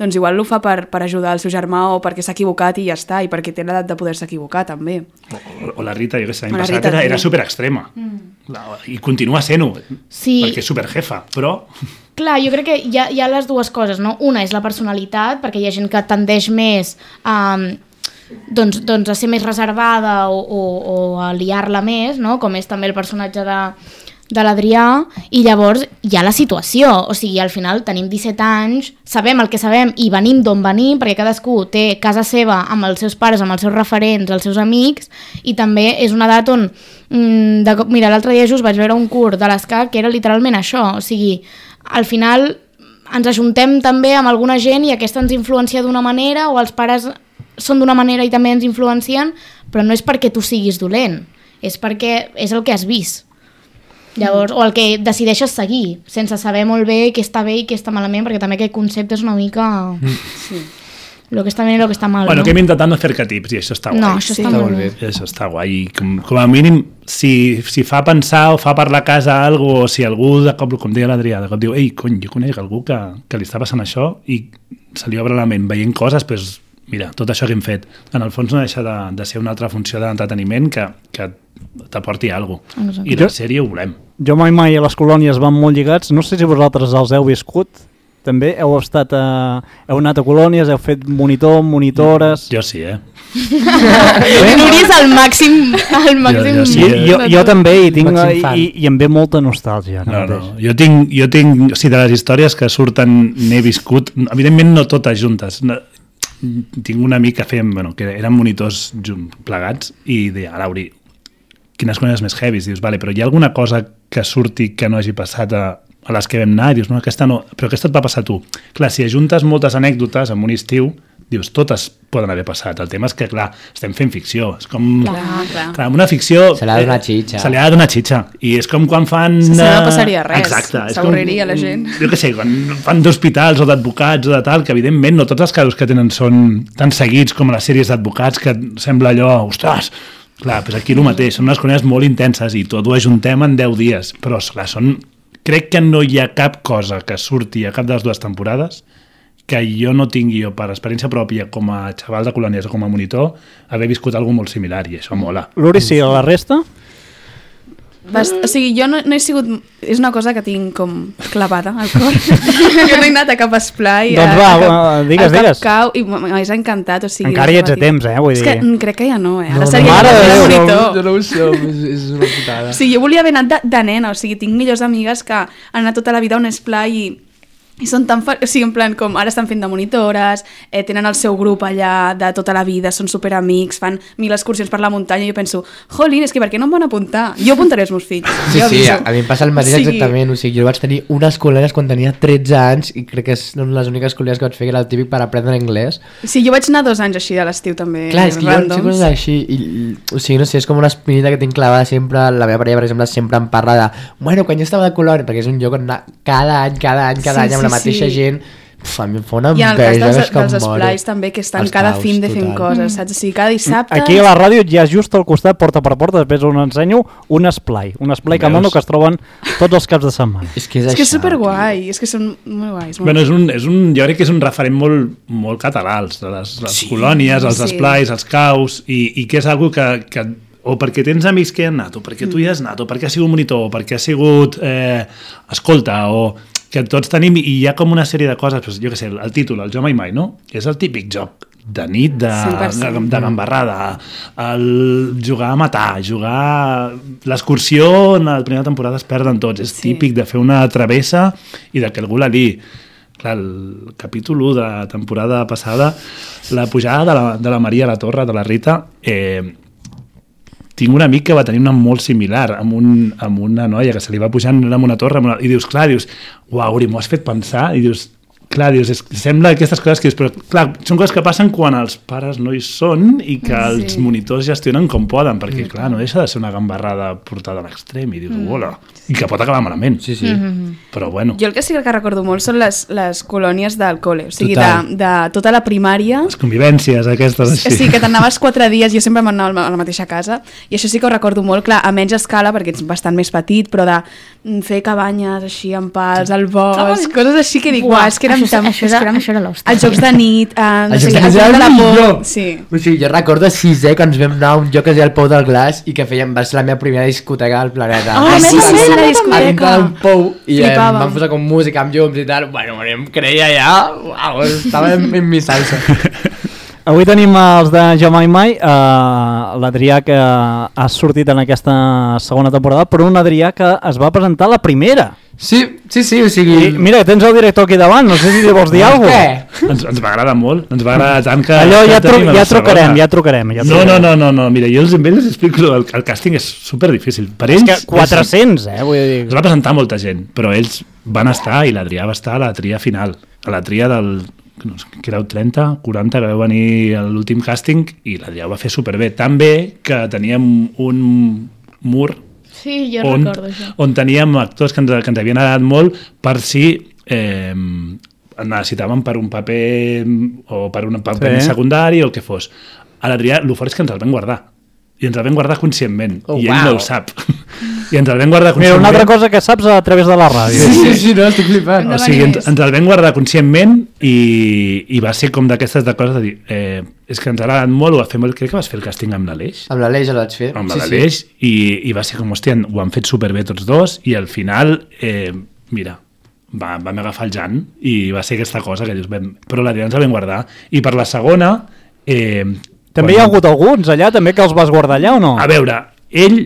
doncs igual ho fa per, per ajudar el seu germà o perquè s'ha equivocat i ja està, i perquè té l'edat de poder-se equivocar també. O, o la Rita, jo que sé, l'any passat Rita, era, era superextrema mm. i continua sent-ho, sí. Perquè és superjefa, però... Clar, jo crec que hi ha, hi ha les dues coses, no? Una és la personalitat, perquè hi ha gent que tendeix més a... Doncs, doncs a ser més reservada o, o, o a liar-la més, no? Com és també el personatge de... de l'Adrià, i llavors hi ha la situació, o sigui, al final tenim disset anys, sabem el que sabem i venim d'on venim, perquè cadascú té casa seva amb els seus pares, amb els seus referents, els seus amics, i també és una edat on mm, de, mira, l'altre dia just vaig veure un curs de l'ESCAC que era literalment això, o sigui, al final ens ajuntem també amb alguna gent i aquesta ens influencia d'una manera, o els pares són d'una manera i també ens influencien, però no és perquè tu siguis dolent, és perquè és el que has vist. Llavors, o el que decideixes seguir, sense saber molt bé què està bé i què està malament, perquè també aquest concepte és una mica... Mm. Sí. Lo que està bé i lo que està mal, bueno, no? que hem intentat no fer arquetips, i això està guai. No, això sí, està, molt bé. bé. Això està guai. Com, com a mínim, si, si fa pensar o fa per la casa algo, o si algú, de cop, com deia l'Adrià, de cop diu, ei, cony, jo conec algú que, que li està passant això, i se li obre la ment veient coses, doncs, mira, tot això que hem fet, en el fons no deixa de, de ser una altra funció d'entreteniment que, que t'aporti alguna cosa. I la sèrie ho volem. Jo mai mai a les colònies van molt lligats, no sé si vosaltres els heu viscut, també heu estat a, heu anat a colònies, heu fet monitor, monitores... Jo sí, eh? Nuri és el màxim, el màxim... Jo, jo, sí, jo, jo, jo també, i, tinc, i, i em ve molta nostàlgia. No, no, jo tinc, jo tinc, o sigui, de les històries que surten n'he viscut, evidentment no totes juntes, no, tinc un amic que fèiem, bueno, que eren monitors plegats, i deia, Lauri, quines coses més heavies, dius, vale, però hi ha alguna cosa que surti que no hagi passat a, a les que vam anar, i dius, no, aquesta no, però aquesta et va passar a tu. Clar, si ajuntes moltes anècdotes en un estiu, dius, totes poden haver passat. El tema és que, clar, estem fent ficció. És com... Clar, clar. Clar, una ficció... Se l'ha de donar xitxa. Se l'ha de donar xitxa. I és com quan fan... Si no passaria res. Exacte. S'avorriria la gent. Jo què sé, quan fan d'hospitals o d'advocats o de tal, que evidentment no tots els casos que tenen són tan seguits com les sèries d'advocats, que sembla allò, ostres, clar, doncs aquí el mateix, són unes coses molt intenses i tot ho ajuntem en deu dies, però clar, són... crec que no hi ha cap cosa que surti a cap de les dues temporades que jo no tingui, jo, per experiència pròpia, com a xaval de colònies o com a monitor, haver viscut alguna molt similar, i això mola. L'Uri, sí, a la resta? Bast... O sigui, jo no, no he sigut... És una cosa que tinc com clavada al cor. Jo no he anat a cap esplai. Doncs va, a, a, digues, a digues. Cau, i m'hagués encantat. O sigui, encara hi ets a temps, eh? Vull dir... És que crec que ja no, eh? Ara no, seria no, no, no, monitor. Jo no ho som, és, és una putada. O sigui, jo volia haver anat de, de nena, o sigui, tinc millors amigues que han anat tota la vida a un esplai i i són tan... Fa... O sigui, en plan, com ara estan fent de monitores, eh, tenen el seu grup allà de tota la vida, són superamics, fan mil excursions per la muntanya i jo penso, jolín, és que per què no em van apuntar? Jo apuntaré els meus fills. Sí, jo sí, aviso. a mi em passa el mateix O sigui... exactament, o sigui, jo vaig tenir unes col·legues quan tenia tretze anys i crec que són les úniques col·legues que vaig fer que era el típic per aprendre anglès. Sí, jo vaig anar dos anys així a l'estiu també. Clar, és que jo randoms. sé coses així, i, o sigui, no sé, és com una espinita que tinc clavada sempre, la meva parella, per exemple, sempre em parla de, bueno, quan jo estava de colònia, perquè és un lloc on anar cada any, cada any, cada Sí, any, amb sí, la mateixa sí. gent. Uf, a mi em fa una I en el cas enveja, dels, és que em dels moro. esplais també, que estan Els cada caus, fin de fent total. coses, saps? O sigui, cada dissabte... Aquí a la ràdio ja just al costat, porta per porta, després us ensenyo un esplai, un esplai que mono que es troben tots els caps de setmana. És que és, És que és això, superguai, és que són molt guais. Molt Bueno, és un, és un, jo crec que és un referent molt, molt català, els, les, les sí, colònies, els sí. esplais, els caus, i, i que és algo que, que o perquè tens amics que hi han anat, o perquè tu hi has anat, o perquè has sigut monitor, o perquè has sigut eh, escolta, o que tots tenim, i hi ha com una sèrie de coses, doncs, jo què sé, el, el títol, el Jo Mai Mai, no? És el típic joc de nit, de, de, de gambarrada, el jugar a matar, jugar... L'excursió en la primera temporada es perden tots, és Sí. típic de fer una travessa i de que algú la liï. Clar, el capítol u de la temporada passada, la pujada de la, de la Maria a la Torre, de la Rita, eh, tinc un amic que va tenir una molt similar amb, un, amb una noia que se li va pujant amb una torre amb una, i dius, clar, dius, uau, Uri, m'ho has fet pensar, i dius, clar, dius, és, sembla aquestes coses que dius, però clar, són coses que passen quan els pares no hi són i que Sí. els monitors gestionen com poden, perquè clar, no deixa de ser una gambarrada portada a l'extrem i dius, hola, i que pot acabar malament. Sí, sí. Però bueno, Jo el que sí que recordo molt són les, les colònies del col·le, o sigui, de, Total. de tota la primària. les convivències aquestes O així. sigui, que t'anaves quatre dies, jo sempre m'anava a la mateixa casa, i això sí que ho recordo molt, clar, a menys escala, perquè ets bastant més petit, però de mm, fer cabanyes així amb pals, al bosc, coses així que dic, Buah, uah, és que érem això- tan... això és era- que érem- això era l'hòstia. Els jocs de nit, eh, no Els sé, jocs què, de els nit jocs de la era por... millor. Sí. O sigui, jo recordo a sisè quan ens vam anar a un lloc que es deia el Pou del Glaç i que fèiem, va ser la meva primera discoteca del planeta. Ah, sí, sí, sí, la A discoteca. dintre d'un pou i eh, em Flipàvem. van posar com música amb llums i tal. Bueno, em creia ja, uau, estava en, en mi salsa. Avui tenim els de Jo Mai Mai, uh, l'Adrià que ha sortit en aquesta segona temporada, però un Adrià que es va presentar la primera. Sí, sí, sí, o sigui... I mira, tens el director aquí davant, no sé si li vols dir alguna cosa. Què? Ens, ens va agradar molt, ens va agradar tant que... Allò ja, que tru tenim a ja la trucarem, segona. ja trucarem. Ja No, trucarem. no, no, no, no, mira, jo els, amb ells els explico, el, el càsting és super difícil. Per És ells... que quatre-cents, eh, vull dir... Es va presentar molta gent, però ells van estar, i l'Adrià va estar a la tria final, a la tria del... no sé, que éreu trenta, quaranta, que vau venir a l'últim càsting, i l'Adrià ho va fer superbé. Tan bé que teníem un mur Sí, jo on, recordo això. on teníem actors que ens, que ens havien agradat molt per si eh, necessitàvem per un paper o per un paper Sí. secundari o el que fos. A l'Adrià, el fort és que ens el vam guardar. I ens el vam guardar conscientment. Oh, I ell wow. no ho sap. I ens el vam guardar Mira, conscientment. una altra cosa que saps a través de la ràdio. Sí, sí, sí, no, estic flipant. O sigui, ens, ens el vam guardar conscientment i, i va ser com d'aquestes de coses de dir eh, és que ens ha agradat molt, ho va fer molt, crec que vas fer el càsting amb l'Aleix Amb l'Aleix el vaig fer. amb sí, l'Aleix i, i va ser com, hòstia, ho han fet superbé tots dos i al final, eh, mira va, vam agafar el Jan i va ser aquesta cosa que dius, vam, però l'Adrià ens la vam guardar i per la segona eh, També hi ha hagut alguns allà, també, que els vas guardar allà o no? a veure, ell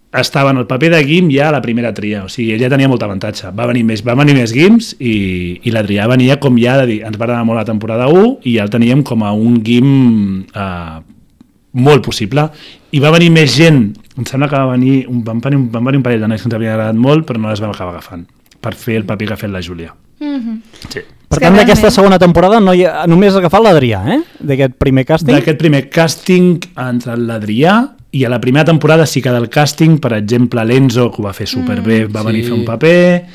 estava en el paper de Guim ja a la primera tria, o sigui, ell ja tenia molt avantatge. Va venir més, va venir més Guims i, i l'Adrià venia com ja de dir, ens va agradar molt la temporada u i ja el teníem com a un Guim eh, molt possible. I va venir més gent, em sembla que va venir, un, van, venir, van venir un parell de nois que ens havien agradat molt, però no les vam acabar agafant per fer el paper que ha fet la Júlia. Mhm. Sí. Per És que tant, d'aquesta realment- segona temporada no hi ha, només ha agafat l'Adrià, eh? D'aquest primer càsting. D'aquest primer càsting entre l'Adrià i a la primera temporada sí que del càsting, per exemple, l'Enzo, que ho va fer superbé, va venir a sí. fer un paper,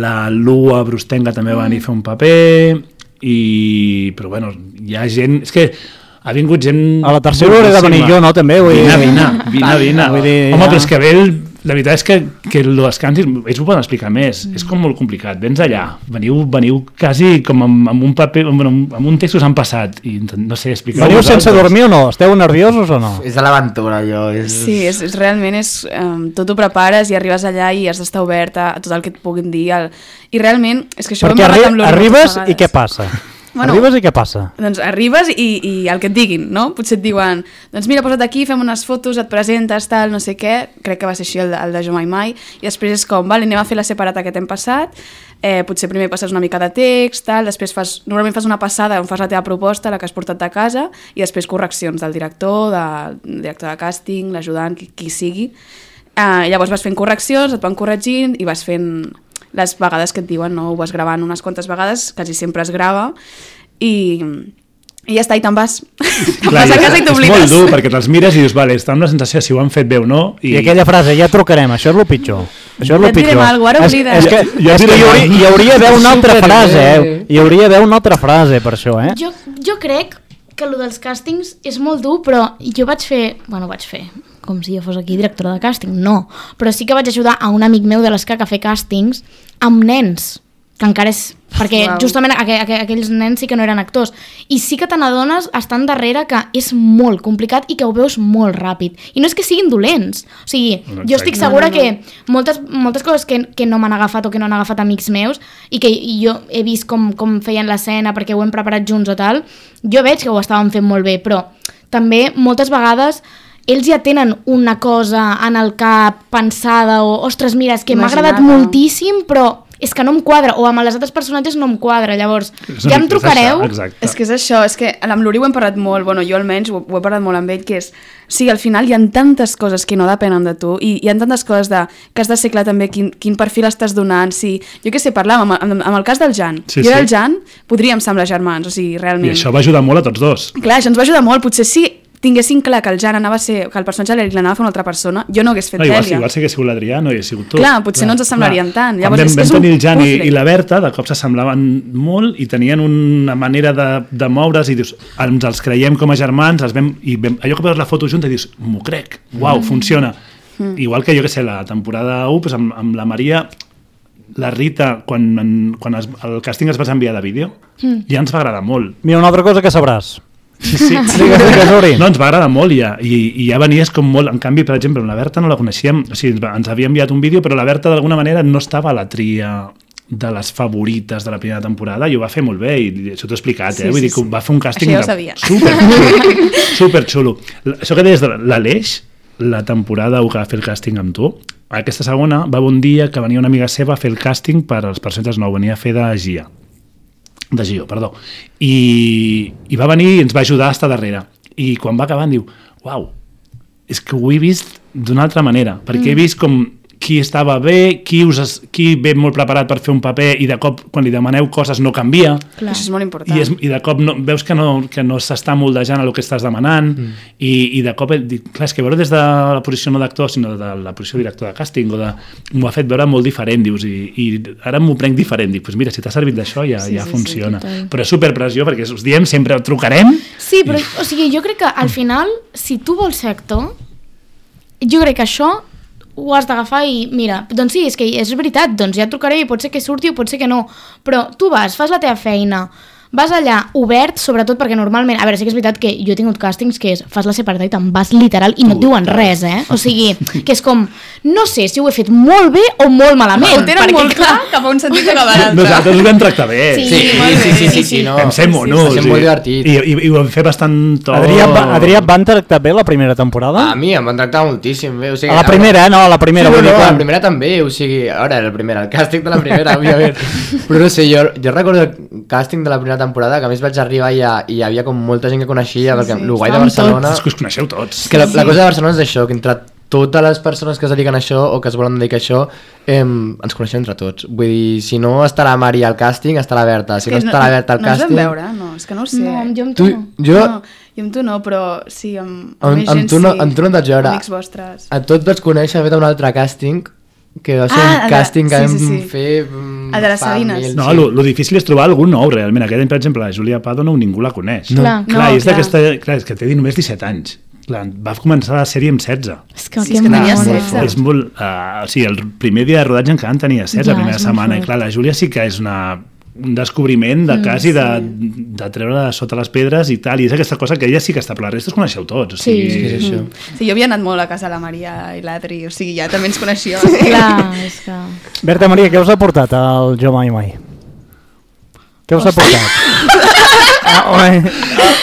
la Lua Brustenga també va venir a fer un paper, i... però bueno, hi ha gent... És que ha vingut gent... A la tercera hauré de venir jo, no, també? Vull dir... Vine, vine, vine, vine. Vull dir, Home, ja. però és que ve el, la veritat és que, que els càntics, ells ho poden explicar més, mm. és com molt complicat, vens allà, veniu, veniu quasi com amb, amb un paper, amb, amb un text que us han passat, i no sé, explicar... Veniu sense dormir o no? Esteu nerviosos o no? És a l'aventura, allò. És... Sí, és, és, realment és... Um, tot ho prepares i arribes allà i has d'estar obert a, a tot el que et puguin dir. El... I realment, és que això... Perquè arri arribes i què passa? Bueno, arribes i què passa? Doncs arribes i, i el que et diguin, no? Potser et diuen, doncs mira, posa't aquí, fem unes fotos, et presentes, tal, no sé què, crec que va ser així el de, el de Jo Mai Mai, i després és com, vale, anem a fer la separata que t'hem passat, eh, potser primer passes una mica de text, tal, després fas, normalment fas una passada on fas la teva proposta, la que has portat de casa, i després correccions del director, del director de càsting, l'ajudant, qui, qui sigui. Eh, llavors vas fent correccions, et van corregint i vas fent... les vegades que et diuen, no? Ho vas gravant unes quantes vegades, quasi sempre es grava, i, i ja està, i te'n vas. Clar, vas a casa i t'oblides. És molt dur, perquè te'ls mires i dius, vale, està amb la sensació si ho han fet bé o no. I, I aquella frase, ja trucarem, això és el pitjor. Això és el ja et direm pitjor. alguna cosa, ara oblides. És, és que, és que hi, hauria, hi hauria d'haver una altra frase, eh? Hi hauria d'haver una altra frase per això, eh? Jo, jo crec que el dels càstings és molt dur, però jo vaig fer... Bueno, vaig fer... com si jo fos aquí directora de càsting, no. Però sí que vaig ajudar a un amic meu de l'Escac a fer càstings amb nens, que encara és... Perquè wow. justament aqu aqu aquells nens sí que no eren actors. I sí que te n'adones estant darrere que és molt complicat i que ho veus molt ràpid. I no és que siguin dolents. O sigui, no, jo estic segura no, no, no. que moltes, moltes coses que, que no m'han agafat o que no han agafat amics meus i que jo he vist com, com feien l'escena perquè ho hem preparat junts o tal, jo veig que ho estaven fent molt bé, però també moltes vegades ells ja tenen una cosa en el cap pensada o, ostres, mira, és que m'ha agradat moltíssim, però és que no em quadra, o amb els altres personatges no em quadra, llavors ja em trucareu. És que és això, és que amb l'Uri ho hem parlat molt, bueno, jo almenys ho, ho he parlat molt amb ell, que és, o sigui, al final hi ha tantes coses que no depenen de tu, i hi ha tantes coses de, que has de ser clar també quin, quin perfil estàs donant, si, jo què sé, parlàvem amb, amb, amb el cas del Jan, sí, jo i sí. el Jan podríem semblar germans, o sigui, realment. I això va ajudar molt a tots dos. Clar, això ens va ajudar molt, potser sí, tinguessin clar que el Jan anava a ser, que el personatge de l'Eric l'anava a fer una altra persona, jo no hagués fet no, igual, Dèlia. Igual si hagués sigut l'Adrià, no hagués sigut tu. Clar, potser clar, no ens assemblarien clar. tant. Llavors, vam, és, vam és tenir un el Jan i, puzzle. i la Berta, de cop s'assemblaven molt i tenien una manera de, de moure's i dius, ens els creiem com a germans, els vam, i vam, allò que veus la foto junta i dius, m'ho crec, uau, mm. funciona. Mm. Igual que jo que sé, la temporada u, doncs amb, amb la Maria, la Rita, quan, en, quan es, el càsting es va enviar de vídeo, mm. ja ens va agradar molt. Mira, una altra cosa que sabràs. Sí, sí. No, ens va agradar molt ja, i, i ja venies com molt, en canvi, per exemple, la Berta no la coneixíem, o sigui, ens havia enviat un vídeo, però la Berta d'alguna manera no estava a la tria de les favorites de la primera temporada i ho va fer molt bé, i això t'ho he explicat, eh? Sí, Vull sí, dir que sí. va fer un càsting ja super xulo, super xulo. Això que deies de l'Aleix, la temporada que va fer el càsting amb tu, aquesta segona va un dia que venia una amiga seva a fer el càsting per als personatges nous, venia a fer de Gia. de Gio, perdó, i, i va venir i ens va ajudar a estar darrere, i quan va acabar em diu, uau, és que ho he vist d'una altra manera, perquè mm. he vist com qui estava bé, qui, us, qui ve molt preparat per fer un paper i de cop quan li demaneu coses no canvia. Clar. Això és molt important. I, és, i de cop no, veus que no, que no s'està moldejant a el que estàs demanant mm. i, i de cop, dic, clar, és que veure des de la posició no d'actor sinó de la posició de director de càsting o de, m'ho ha fet veure molt diferent, dius, i, i ara m'ho prenc diferent, dic, pues mira, si t'ha servit d'això ja, sí, ja sí, funciona. Sí, però és superpressió perquè us diem sempre, trucarem. Sí, però o sigui, jo crec que al final, si tu vols ser actor, jo crec que això ho has d'agafar i mira, doncs sí, és que és veritat, doncs ja trucaré i pot ser que surti o pot ser que no, però tu vas, fas la teva feina, vas allà obert, sobretot perquè normalment, a veure, sí que és veritat que jo he tingut càstings que és, fas la separata i te'n vas literal i no et diuen res, eh? O sigui, que és com, no sé si ho he fet molt bé o molt malament. Ho tenen molt clar cap a un sentit que cap a l'altre. Nosaltres ho vam tractar bé. Sí, sí, sí, sí, sí, sí, sí, no. Vam ser monos. Sí, sí, molt divertit. I, i, i ho vam fer bastant tot. Adrià, Adrià, van tractar bé la primera temporada? A mi em van tractar moltíssim bé. O sigui, a la primera, eh? No, a la primera. Sí, no, no, quan... a la primera també, o sigui, ara era la primera, el càsting de la primera, òbviament. Però no sé, jo, jo recordo el càsting de la primera temporada, que a més vaig arribar i hi havia com molta gent que coneixia, sí, perquè sí, el guai de Barcelona... És que us coneixeu tots. Que la, la cosa de Barcelona és això, que entre totes les persones que es dediquen a això o que es volen dedicar a això, eh, ens coneixem entre tots. Vull dir, si no està la Mari al càsting, està la Berta. Si no està la Berta al no càsting... No ens vam veure, no, és que no ho sé. No, jo amb tu, tu no. Jo... No, jo amb tu no, però sí, amb, amb, amb més amb gent tu no, sí. Amb tu no et vaig veure. Amics vostres. A tots vaig conèixer a fer un altre càsting, que va ser Ah, un càsting que sí, vam sí, sí. fer... El de les fa Sabines. mil, No, sí. lo, lo difícil és trobar algú nou, realment. Aquest any, per exemple, la Júlia Pardo no, ningú la coneix. No. Clar, clar, no, és clar. d'aquesta... Clar, és que té només disset anys. clar, va començar la sèrie amb setze. És que, Sí, que és que tenia molt setze. fort. És molt, uh, o sigui, el primer dia de rodatge encara en tenia setze, Ja, la primera és molt setmana, i fort. clar, la Júlia sí que és una, un descobriment de quasi de, de treure de sota les pedres i tal, i és aquesta cosa que ella sí que està, però la resta es coneixeu tots, o sigui... Sí. És això. Sí, jo havia anat molt a casa de la Maria i l'Adri, o sigui, ja també ens coneixia. Clar, és que... Berta Maria, què us ha portat el Jo Mai Mai? Què us ha portat? Ah, oi.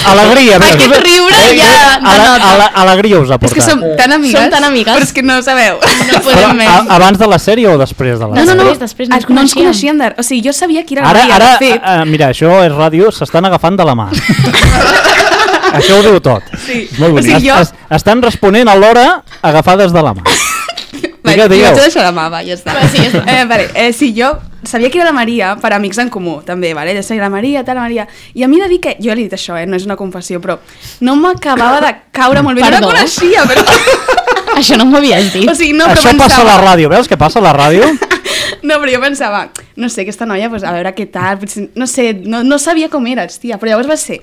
Alegria. mira, Aquest us ha- riure Eh, ja eh, ale- denota. ale- Alegria us ha És portat. que som tan amigues, Som tan amigues. però és que no ho sabeu. No Però, podem més. a, abans de la sèrie o després de la No, no, sèrie? no. Després, després no ens no ens coneixíem. coneixíem. De... O sigui, jo sabia qui era la Ara, Maria, ara de fet. uh, mira, això és ràdio, s'estan agafant de la mà. Això ho diu tot. Sí. Molt O bonic. sigui, jo... Es, es, estan responent alhora agafades de la mà. Vale, Digueu, jo digueu. vaig a deixar la mà, va, ja està. Va, sí, ja està. Eh, vale, eh, sí, jo sabia que era la Maria per amics en comú, també, vale? Jo sabia la Maria, tal, la Maria... I a mi he de dir que... Jo li he dit això, eh? No és una confessió, però no m'acabava de caure molt bé. Perdó? No la coneixia, però... Això no m'ho havies dit. O sigui, no, però Això pensava... passa a la ràdio, veus què passa a la ràdio? No, però jo pensava, no sé, aquesta noia, pues, a veure què tal, potser, no sé, no, no sabia com eres, tia, però llavors va ser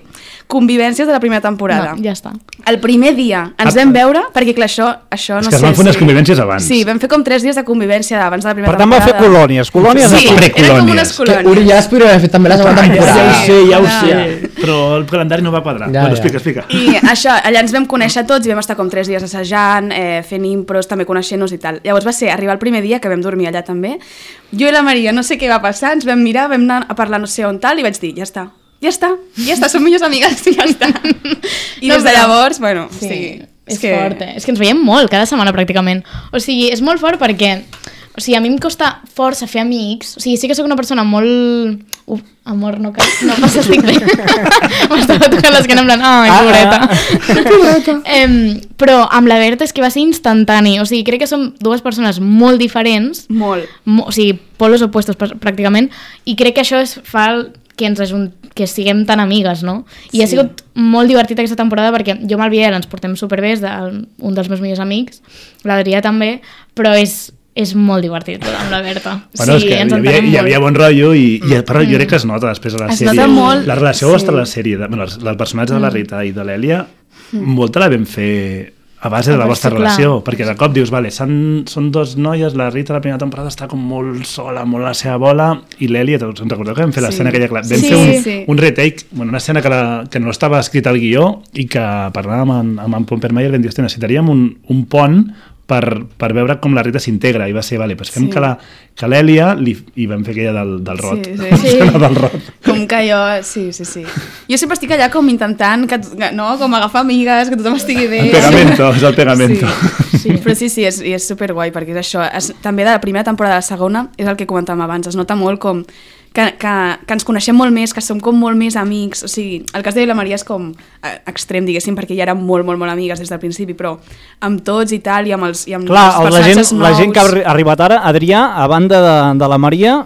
convivències de la primera temporada. No, ja està. El primer dia ens vam veure, perquè clar, això, això És no que es sé... van fer unes si- convivències abans. Sí, vam fer com tres dies de convivència abans de la primera Per tant, va fer temporada. colònies. Colònies Sí, de... eren com precolònies. unes Que colònies. Uri ja es podria haver fet també la segona Ah, ja, temporada. ja ho sé, ja ho Ah. sé, però el calendari no va quadrar. Ja, bueno, ja. explica, explica. I això, allà ens vam conèixer tots i vam estar com tres dies assajant, eh, fent impros, també coneixent-nos i tal. Llavors va ser arribar el primer dia, que vam dormir allà també. Jo i la Maria, no sé què va passar, ens vam mirar, vam anar a parlar no sé on tal, i vaig dir, ja està, ja està, ja està, som millors amigues, i ja està. I No, des de però- llavors, bueno, Sí, sí, és que... fort, eh? És que ens veiem molt, cada setmana pràcticament. O sigui, és molt fort perquè... O sigui, a mi em costa força fer amics. O sigui, sí que sóc una persona molt... Uf, amor, no cal... No, no estic bé. M'estava tocant l'esquena en plan... Ai, Ah, pobreta. em, però amb la Berta és que va ser instantani. O sigui, crec que som dues persones molt diferents. molt. Mo, o sigui, polos opuestos pr- pràcticament, i crec que això és, fa el- que ens ajunt, que siguem tan amigues, no? I sí. Ha sigut molt divertit aquesta temporada perquè jo amb el Biel ens portem superbé, és de, un dels meus millors amics, l'Adrià també, però és, és molt divertit amb la Berta. Bueno, és sí, que hi ens havia, entenem hi havia molt. bon rotllo i, i però jo crec que es nota després de la Es sèrie. nota molt, La relació sí. vostra a la sèrie, de, bueno, els, els personatges de la Rita i de l'Èlia, molta la vam fer a base de la A vostra base, clar. relació, perquè de cop dius, vale, són, són dos noies, la Rita la primera temporada està com molt sola, molt a la seva bola, i l'Èlia, us en recordeu que vam fer Sí. l'escena aquella, clar, vam Sí, fer un, sí. un retake, bueno, una escena que, la, que no estava escrita al guió i que parlàvem amb, amb en Pompermayer, vam dir, hòstia, necessitaríem un, un pont per, per veure com la Rita s'integra, i va ser, vale, doncs fem Sí. que la que l'Èlia, li, i vam fer aquella del, del rot. Sí, sí. Sí. del rot. Com que jo, sí, sí, sí. Jo sempre estic allà com intentant, que, que- no? Com agafar amigues, que tothom estigui bé. El pegamento, és el pegamento. Sí, sí. Però sí, sí, és, i és superguai, perquè és això. És, també de la primera temporada a la segona, és el que comentàvem abans, es nota molt com que, que, que ens coneixem molt més, que som com molt més amics. O sigui, el cas de la Maria és com eh, extrem, diguéssim, perquè ja érem molt, molt, molt amigues des del principi, però amb tots i tal, i amb els, i amb Clar, els el- la gent, personatges nous... la gent que ha arri- arribat ara, Adrià, a banda de, de la Maria,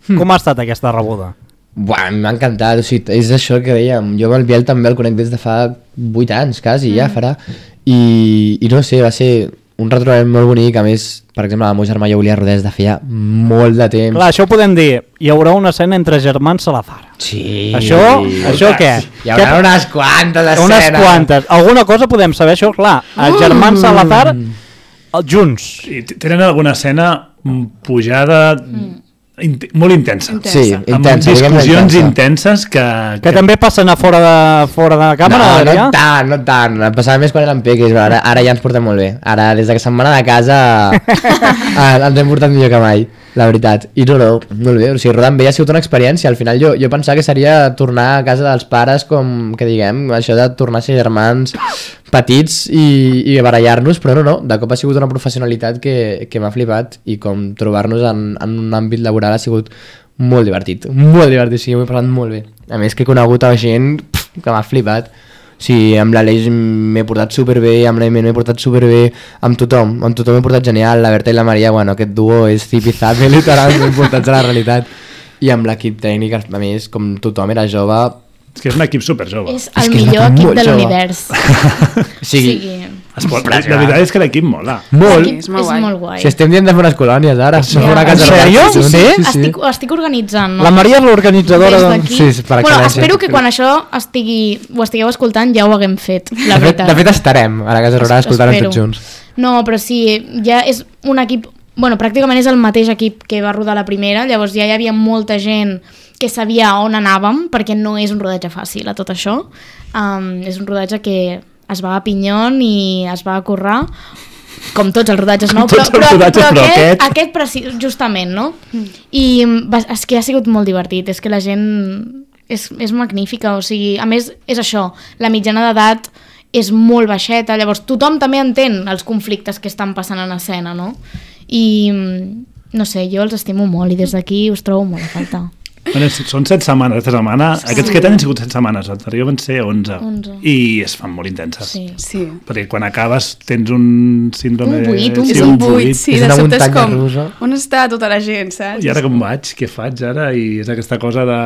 com ha estat aquesta rebuda? Buah, m'ha encantat, o sigui, és això que dèiem, jo amb el Biel també el conec des de fa vuit anys, quasi, mm. ja farà, i, i no sé, va ser un retrobament molt bonic, a més, per exemple, el meu germà jo volia rodar des de feia molt de temps. Clar, això ho podem dir, hi haurà una escena entre germans Salazar. Sí. Això, això què? Hi haurà Què- unes quantes escenes. Unes quantes. Alguna cosa podem saber, això, clar. Els germans Salazar, els junts. I t- tenen alguna escena mm, pujada int molt intensa. Intensa. Sí, Amb intensa. diguem-ne discussions intensa. intenses que... Que també passen a fora de, fora de càmera, no, Adrià? no tant, no tant. Em passava més quan eren peques, però ara, ara ja ens portem molt bé. Ara, des de que se'n van anar de casa, eh, ens hem portat millor que mai, la veritat. I no, no, molt bé. O sigui, rodant bé ha sigut una experiència. Al final jo, jo pensava que seria tornar a casa dels pares, com que diguem, això de tornar a ser germans petits i, i barallar-nos, però no, no, de cop ha sigut una professionalitat que, que m'ha flipat, i com trobar-nos en, en un àmbit laboral ha sigut molt divertit, molt divertit, sí, m'ho he passat molt bé. A més que he conegut a gent pff, que m'ha flipat. Sí, amb l'Aleix m'he portat superbé, amb l'Aimé m'he portat superbé, amb tothom, amb tothom m'he portat genial, la Berta i la Maria, bueno, aquest duo és zip i zap, literalment portats a la realitat. I amb l'equip tècnic, a més, com tothom era jove, És que és un equip superjove. És el millor equip de l'univers. Sí. Es pot, la veritat és que l'equip mola. Molt. Sí, és molt És guai. molt guai. Si estem dient de fer unes colònies ara. Ja. Fer una casa En sèrio? rural. Sí? Estic, estic organitzant, no? La Maria és l'organitzadora Des de... d'aquí. Sí, sí, per bueno, excel·lència. espero que quan això estigui, ho estigueu escoltant ja ho haguem fet, la De fet, veritat. de fet estarem a la casa rural escoltant Espero. tots junts. No, però sí, ja és un equip... Bueno, pràcticament és el mateix equip que va rodar la primera, llavors ja hi havia molta gent que sabia on anàvem, perquè no és un rodatge fàcil a tot això. Um, és un rodatge que es va a pinyon i es va a currar, com tots els rodatges, no? Com tots els rodatges, però aquest, aquest- aquest preci- justament, no? I va, és que ha sigut molt divertit, és que la gent és, és magnífica, o sigui, a més és això, la mitjana d'edat és molt baixeta, llavors tothom també entén els conflictes que estan passant en escena, no? I no sé, jo els estimo molt i des d'aquí us trobo molt a falta. Bueno, són set setmanes, aquesta setmana. Sí. Aquests que han sigut set setmanes, l'anterior van ser onze. onze. I es fan molt intenses. Sí. Sí. Perquè quan acabes tens un síndrome... Un buit, un sí, És un buit, sí, És de una sobte és muntanya com... russa. On està tota la gent, saps? I ara com vaig? Què faig ara? I és aquesta cosa de,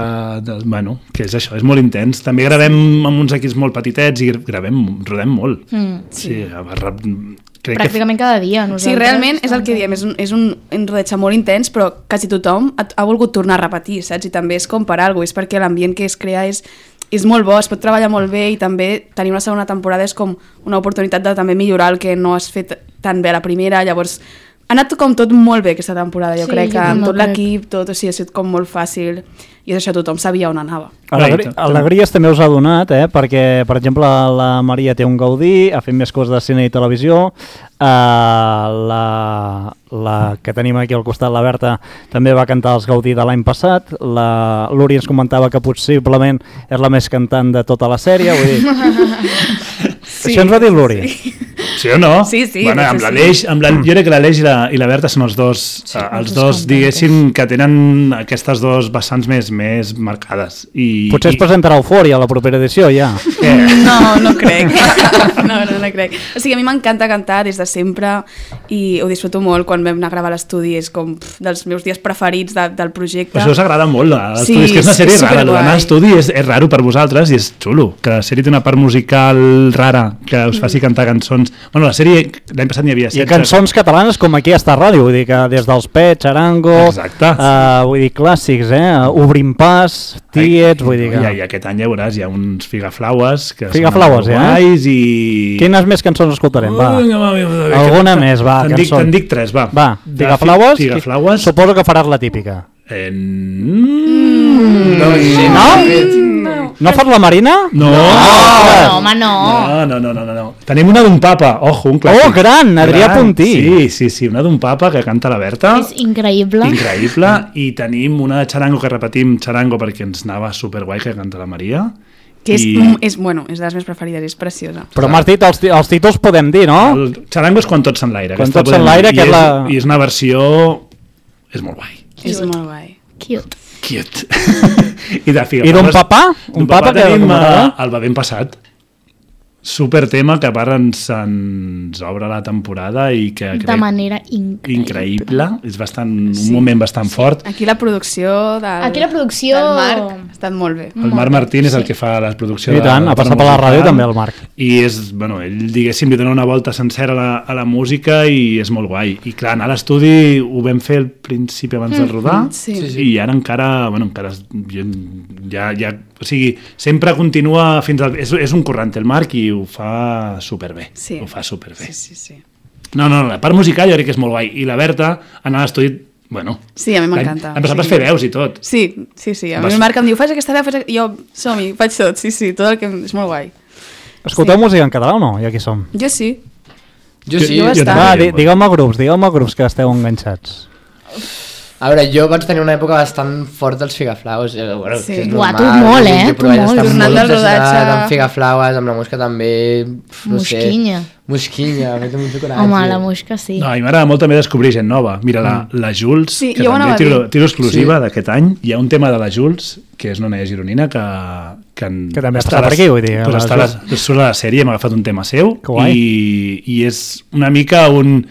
de... Bueno, que és això, és molt intens. També gravem amb uns equips molt petitets i gravem, rodem molt. Mm. Sí, a barra... Crec Pràcticament cada dia. Nosaltres, Sí, realment és el que diem, és un, és un, un rodatge molt intens, però quasi tothom ha, ha volgut tornar a repetir, saps? I també és com per alguna cosa, és perquè l'ambient que es crea és, és molt bo, es pot treballar molt bé i també tenir una segona temporada és com una oportunitat de també millorar el que no has fet tan bé a la primera, llavors ha anat com tot molt bé aquesta temporada, jo Sí, crec que jo amb també tot crec. l'equip, tot, o sigui, ha sigut com molt fàcil i és això, tothom sabia on anava. Alegri alegries també us ha donat, eh? Perquè, per exemple, la Maria té un Gaudí, ha fet més coses de cine i televisió, uh, la, la que tenim aquí al costat, la Berta, també va cantar els Gaudí de l'any passat, la l'Uri ens comentava que possiblement és la més cantant de tota la sèrie, vull dir... Sí, Això ens va dir l'Uri. sí. Sí o no? Sí, sí, Bueno, de fet, amb sí. l'Aleix, amb la, jo crec que l'Aleix i, la, i la Berta són els dos, sí, uh, els dos, diguéssim, que tenen aquestes dos vessants més, més marcades. I, Potser es i, presentarà Eufòria a la propera edició, ja. No, no crec. No, no, no crec. O sigui, a mi m'encanta cantar des de sempre i ho disfruto molt quan vam anar a gravar a l'estudi. És com pff, dels meus dies preferits de, del projecte. Per això us agrada molt a Sí, l'estudi, és que és una sèrie és rara, superguai. l'anar a l'estudi és, és raro per vosaltres i és xulo, que la sèrie té una part musical rara, que us faci cantar cançons. Bueno, la sèrie, l'any passat n'hi havia I setze. cançons catalanes com aquí a Estar Ràdio, vull dir que des dels Pets, Charango, Exacte. uh, vull dir clàssics, eh? Obrim pas, Tiets, vull dir que... I, I aquest any ja veuràs, hi ha uns figaflaues que Figaflaues, són eh? guais i... Quines més cançons escoltarem, va? Vinga, va, vinga, va, Alguna que- més, va, Te'n dic, cançó. te'n dic tres, va. Va, De Figaflaues, fi- Figaflaues. suposo que faràs la típica. Eh, mm, No, sí, No? No fas la Marina? No. No, home, no. No, no, no, no, no. Tenim una d'un papa, ojo, un clàssic. Oh, gran, Adrià Gran. Puntí. Sí, sí, sí, una d'un papa que canta la Berta. És increïble. Increïble. I tenim una de Charango que repetim Charango perquè ens anava superguai que canta la Maria. Que és, I- mm, és, bueno, és de les meves preferides, és preciosa. Però m'has dit, els, ti- els títols podem dir, no? El Charango és quan tots s'enlaire. Quan aquesta tots podem s'enlaire, dir. que I és la- I és una versió... És molt guai. És molt guai. Cute. Cute. I de Figaflaues. I d'un papà? Un D'un papa que tenim recomanarà? uh, el Bevent Passat. Super tema que a part ens, ens obre la temporada i que De crec manera increïble. increïble. És bastant, un Sí. moment bastant fort. Aquí la producció del, Aquí la producció- del Marc ha estat molt bé. El Marc Martín és el que fa la producció I tant, de, ha de passat per la musical. ràdio també el Marc. I és, bueno, ell, diguéssim, li dona una volta sencera a la, a la música i és molt guai. I clar, anar a l'estudi ho vam fer al principi abans de rodar sí. Sí, sí. i ara encara, bueno, encara es- ja, ja, o sigui, sempre continua fins al... És, és un corrent el Marc i ho fa superbé. Sí. Ho fa superbé. Sí, sí, sí. No, no, la part musical jo crec que és molt guai. I la Berta, anar a l'estudi, bueno... Sí, a mi l'any- m'encanta. L'any passat Sí. vas fer veus i tot. Sí, sí, sí. A mi Vas- el Marc em diu, faig aquesta veu, faig... Jo, som-hi, faig tot, sí, sí, tot el que... És molt guai. Escolteu Sí. música en català o no? I aquí som. Jo sí. Jo sí. Jo jo bastant. Va, també. di digueu-me grups, digueu-me grups que esteu enganxats. A veure, jo vaig tenir una època bastant forta dels Figaflaues. Eh, bueno, Sí. que és Uah, normal, tu molt, eh? jo Tu però vaig molt. estar Tornant molt del rodatge. obsessionat amb Figaflaues, amb la Mosca també... pf, No Mosquinya. Sé, Mosquinya, a mi té molt coratge. Home, la mosca sí. No, a mi m'agrada molt també descobrir gent nova. Mira, la, la Jules, Sí, que jo ho també anava a tiro, dir. tiro exclusiva Sí. d'aquest any. Hi ha un tema de la Jules, que és una noia gironina, que... Que, en, Que també ha està passat a la- per aquí, vull dir, Pues a està a la la, surt a la sèrie, hem agafat un tema seu. Que guai. I, I és una mica un...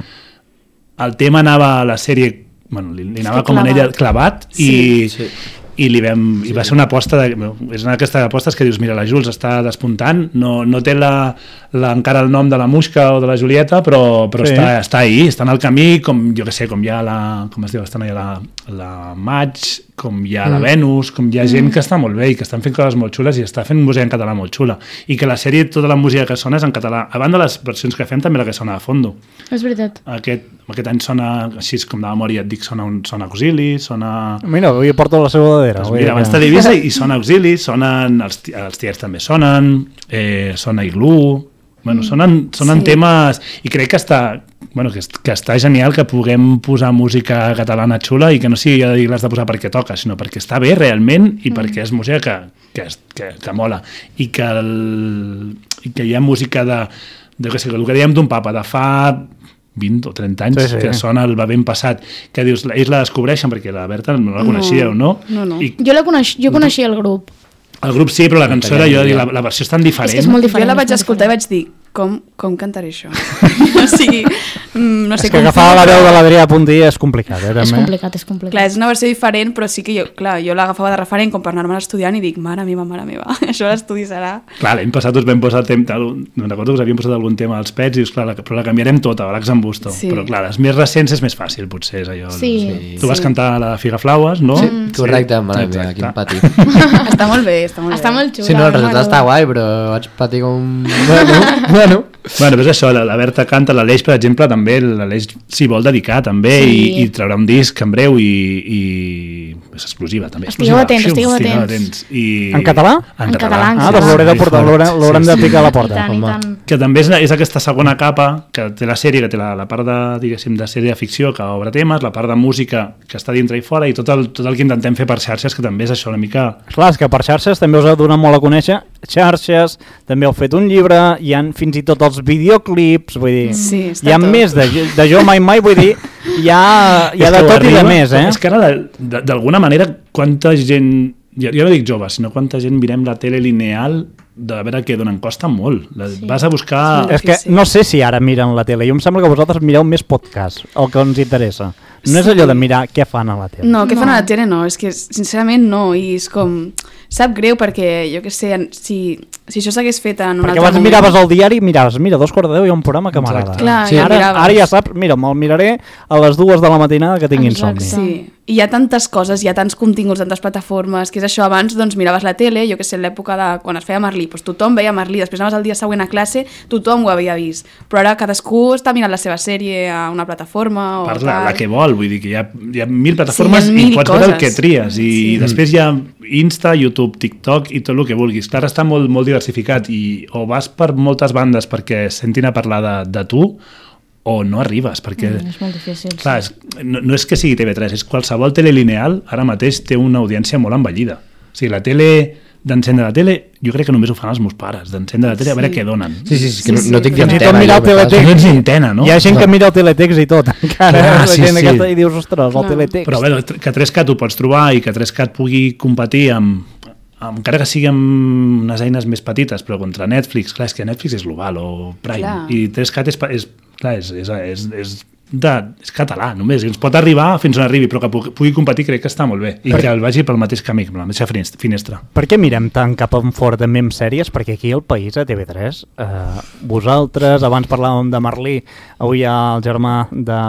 El tema anava a la sèrie... Bueno, li, li anava que com en ella clavat. clavat Sí, i, sí. i, li vam, sí. i va ser una aposta de, és una d'aquestes apostes que dius, mira, la Jules està despuntant, no, no té la, la, encara el nom de la Muixca o de la Julieta, però, però sí. està, està ahí, està en el camí, com jo que sé, com hi ha la, com es diu, estan allà la, la Maig, com hi ha mm. la Venus, com hi ha gent mm. que està molt bé i que estan fent coses molt xules i està fent música en català molt xula, i que la sèrie, tota la música que sona és en català, a banda de les versions que fem també la que sona a fondo. És veritat. Aquest, aquest any sona, així com de memòria et dic, sona, un, sona Auxili, sona... Mira, avui porto la seva dadera. Pues mira, abans de Divisa i sona Auxili, sonen, els, els tiers també sonen, eh, sona Iglú, bueno, sonen, sonen sí. temes, i crec que està, bueno, que, que està genial que puguem posar música catalana xula i que no sigui de dir l'has de posar perquè toca, sinó perquè està bé realment i mm. perquè és música que, que, que, que mola, i que, el, i que hi ha música de, de que sé, el que dèiem d'un papa, de fa vint o trenta anys, sí, sí. que sona el va ben passat, que dius, ells la descobreixen perquè la Berta no la coneixíeu, no? No, no. I... Jo, la coneix, jo coneixia el grup. El grup sí, però la cançó era jo, la, la versió és tan diferent. És que és molt diferent. Jo la vaig escoltar i vaig dir, com, com cantaré això? O sigui, no sé és que com agafar la veu de l'Adrià Puntí és complicat, eh? És complicat, és complicat. Clar, és una versió diferent, però sí que jo, clar, jo l'agafava de referent com per anar-me estudiant i dic, mare meva, mare meva, això l'estudi serà... Clar, l'any passat us vam posar tem, no recordo que us havíem posat algun tema als pets i dius, clar, la, però la canviarem tota, Black Zambusto. Sí. Però clar, les més recents és més fàcil, potser, és allò. Sí. sí. Tu vas sí. cantar la de Figaflaues, no? Sí, correcte, sí. Mare meva, quin pati. Està molt bé, està molt bé. Està molt xula. Sí, no, el resultat està guai, però vaig patir com... Bueno, bueno. Bueno, és això, la, la Berta canta, l'Aleix, per exemple, també, l'Aleix s'hi vol dedicar, també, sí. i, i traurà un disc en breu, i, i és exclusiva, també. Estigueu atents, estigueu atents. I... En català? En, en català, Ah, doncs l'hauré de portar, l'haurem de picar a la porta. I tant, i tant. Que també és, és aquesta segona capa que té la sèrie, que té la, la part de, diguéssim, de sèrie de ficció que obre temes, la part de música que està dintre i fora, i tot el, tot el que intentem fer per xarxes, que també és això una mica... Clar, és que per xarxes també us heu donat molt a conèixer, xarxes, també heu fet un llibre, hi ha fins i tot els videoclips, vull dir, sí, hi ha tot. més de, de jo mai mai, vull dir, hi ha, hi ha de tot arriba, i de més, eh? És que ara, d'alguna manera, quanta gent... Jo, jo no dic jove, sinó quanta gent mirem la tele lineal de veure què donen, costa molt. La, sí. Vas a buscar... Sí, és que no sé si ara miren la tele, jo em sembla que vosaltres mireu més podcast, el que ens interessa. No és allò de mirar què fan a la tele. No, què no. fan a la tele no, és que sincerament no, i és com... Sap greu perquè, jo què sé, si, si això s'hagués fet en un perquè altre abans moment... miraves al diari i miraves, mira, dos quarts de deu hi ha un programa que m'agrada. Clar, sí, ja ara, miraves. ara ja saps, mira, me'l miraré a les dues de la matinada que tinc insomni. Sí, i hi ha tantes coses, hi ha tants continguts, tantes plataformes, que és això, abans doncs miraves la tele, jo que sé, l'època de quan es feia Merlí, doncs tothom veia Merlí, després anaves el dia següent a classe, tothom ho havia vist, però ara cadascú està mirant la seva sèrie a una plataforma o Parla, tal. la que vol, vull dir que hi ha, hi ha mil plataformes sí, hi ha mil i pots coses. veure el que tries, i sí. després hi ha Insta, YouTube, TikTok i tot el que vulguis. Clar, està molt, molt diversificat i o vas per moltes bandes perquè sentin a parlar de, de tu, o no arribes, perquè... Mm, és molt difícil. Clar, Sí. és, no, no és que sigui T V tres, és qualsevol tele lineal ara mateix té una audiència molt envellida. O sigui, la tele, d'encendre la tele, jo crec que només ho fan els meus pares, d'encendre la tele sí. a veure què donen. Sí, sí, sí, que Sí, no, no sí. tinc Fins i tot antena. mirar el Teletext. No ets antena, no? Hi ha gent que mira el Teletext i tot, encara. Clar, la sí, gent sí. aquesta i dius, ostres, el Clar. Teletext. Però bé, que tres cat ho pots trobar i que tres cat pugui competir amb, amb encara que sigui amb unes eines més petites, però contra Netflix, clar, és que Netflix és global o Prime, Clar. i tres cat és, és, clar, és, és, és, és, de, és català només, i ens pot arribar fins on arribi, però que pugui, pugui competir crec que està molt bé, i per... que el vagi pel mateix camí, per la mateixa finestra. Per què mirem tant cap enfora també amb sèries? Perquè aquí al país, a T V tres, eh, vosaltres, abans parlàvem de Merlí, avui hi ha el germà de,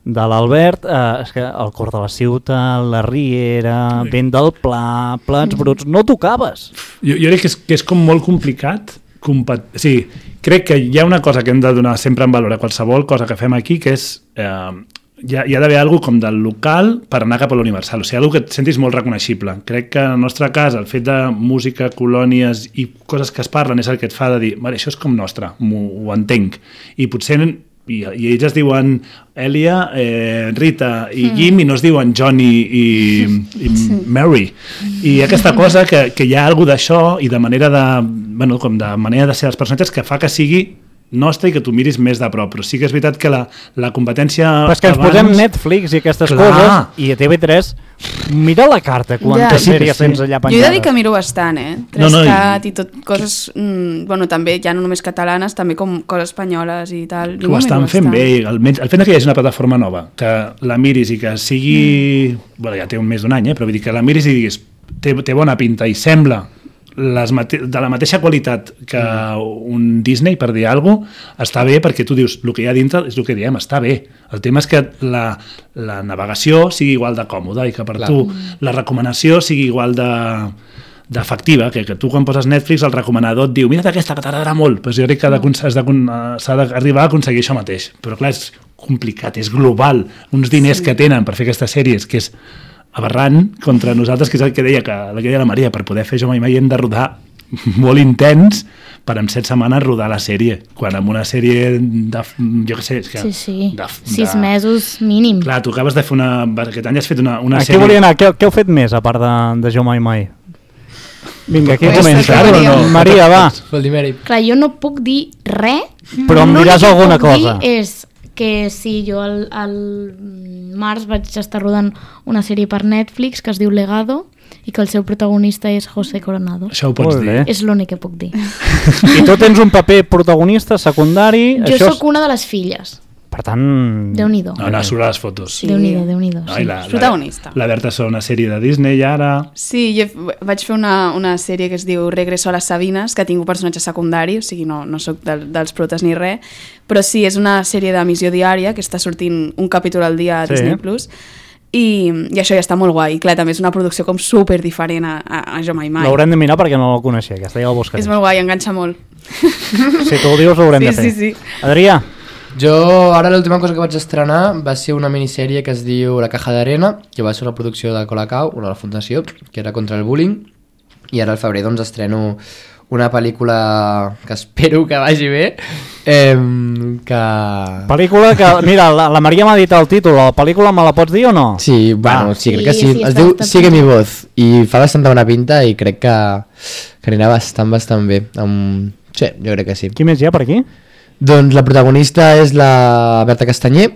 de l'Albert, eh, és que el Cor de la Ciutat, la Riera, sí. Vent del Pla, Plats Bruts, no tocaves. Jo, jo crec que és, que és com molt complicat. Compat... Sí, crec que hi ha una cosa que hem de donar sempre en valor a qualsevol cosa que fem aquí, que és... Eh, hi ha, hi ha d'haver alguna com del local per anar cap a l'universal, o sigui, alguna que et sentis molt reconeixible. Crec que en el nostre cas el fet de música, colònies i coses que es parlen és el que et fa de dir, vale, això és com nostre, ho entenc. I potser... I, i ells es diuen Elia, eh, Rita i mm. Guim, i no es diuen Johnny i, i sí. Mary. I aquesta cosa que, que hi ha alguna d'això i de manera de, bueno, com de manera de ser els personatges que fa que sigui nostre i que tu miris més de prop, però sí que és veritat que la, la competència... Però és que ens abans... posem Netflix i aquestes Clar. coses, i a T V tres Mira la carta, quantes Ja. sèries tens allà Jo he penjades. de dir que miro bastant, eh? No, no, tres cat i tot, coses... Mm, bueno, també, ja no només catalanes, també com coses espanyoles i tal. Jo Ho m'ho estan miro fent bastant. bé, almenys el fet que hi hagi una plataforma nova, que la miris i que sigui... Mm. Bueno, ja té un més d'un any, eh? Però vull dir que la miris i diguis té, té bona pinta i sembla les mate de la mateixa qualitat que mm. un Disney, per dir alguna cosa, està bé perquè tu dius, el que hi ha dintre és el que diem, està bé. El tema és que la, la navegació sigui igual de còmoda i que per Clar. tu la recomanació sigui igual de d'efectiva, que, que tu quan poses Netflix el recomanador et diu, mira't aquesta que t'agradarà molt, però jo crec que s'ha d'arribar a aconseguir això mateix, però clar, és complicat, és global, uns diners sí. que tenen per fer aquestes sèries, que és aberrant contra nosaltres, que és el que deia que, el que deia la Maria, per poder fer Jo mai mai hem de rodar molt intens per en set setmanes rodar la sèrie, quan amb una sèrie de, jo què sé, és que Sí, sí, de, sis de... mesos mínim. Clar, tu acabes de fer una... Aquest any has fet una, una Aquí sèrie... volia anar, què, què heu fet més a part de, de Jo mai mai? Vinga, aquí Pues comença. que Maria. No? Maria, va. Vol dir mèrit. Clar, jo no puc dir res. Però em diràs L'únic que alguna puc dir cosa. és que sí, jo al, al març vaig estar rodant una sèrie per Netflix que es diu Legado i que el seu protagonista és José Coronado. Això ho pots Molt dir. bé. És l'únic que puc dir. I tu tens un paper protagonista, secundari... Jo això és- sóc una de les filles. Per tant... Déu-n'hi-do. No, no, surt a les fotos. Sí. Déu-n'hi-do, Déu-n'hi-do. Ai, Sí. la, És protagonista. La, la Berta és una sèrie de Disney ara... Sí, jo vaig fer una, una sèrie que es diu Regreso a les Sabines, que tinc un personatge secundari, o sigui, no, no sóc del, dels protes ni res, però sí, és una sèrie d'emissió diària que està sortint un capítol al dia a Sí. Disney Plus, i, i això ja està molt guai. I clar, també és una producció com super diferent a, a, a Jo mai mai. L'haurem de mirar perquè no la coneixia, aquesta ja la buscaré. És molt guai, enganxa molt. Si tu ho dius, ho haurem Sí, de fer. sí, sí. Adrià, Jo, ara l'última cosa que vaig estrenar va ser una minissèrie que es diu La caja d'arena, que va ser una producció de Colacao, una de la fundació, que era contra el bullying, i ara al febrer doncs estreno una pel·lícula que espero que vagi bé, eh, que... pel·lícula que... Mira, la, la Maria m'ha dit el títol, la pel·lícula me la pots dir o no? Sí, bueno, Ah. sí, crec que Sí, sí. sí, es està diu bastant Sigue mi bé. voz, i fa bastanta bona pinta i crec que, que anirà bastant, bastant bé. Um, sí, jo crec que sí. Qui més hi ha per aquí? Doncs la protagonista és la Berta Castanyer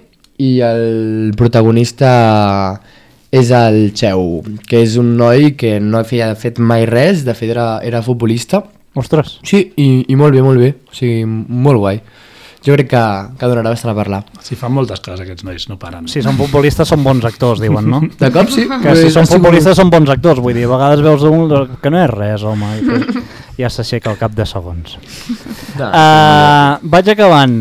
i el protagonista és el Cheu, que és un noi que no havia fet mai res, de fet era, era futbolista. Ostres. Sí, i, i molt bé, molt bé, o sigui, molt guai. Jo crec que, que donarà bastant a parlar. Si fan moltes coses aquests nois, no paren. Si són futbolistes són bons actors, diuen, no? De cop sí. Que si són futbolistes són bons actors, vull dir, a vegades veus un que no és res, home, i que ja s'aixeca al cap de segons. No, Uh, vaig acabant.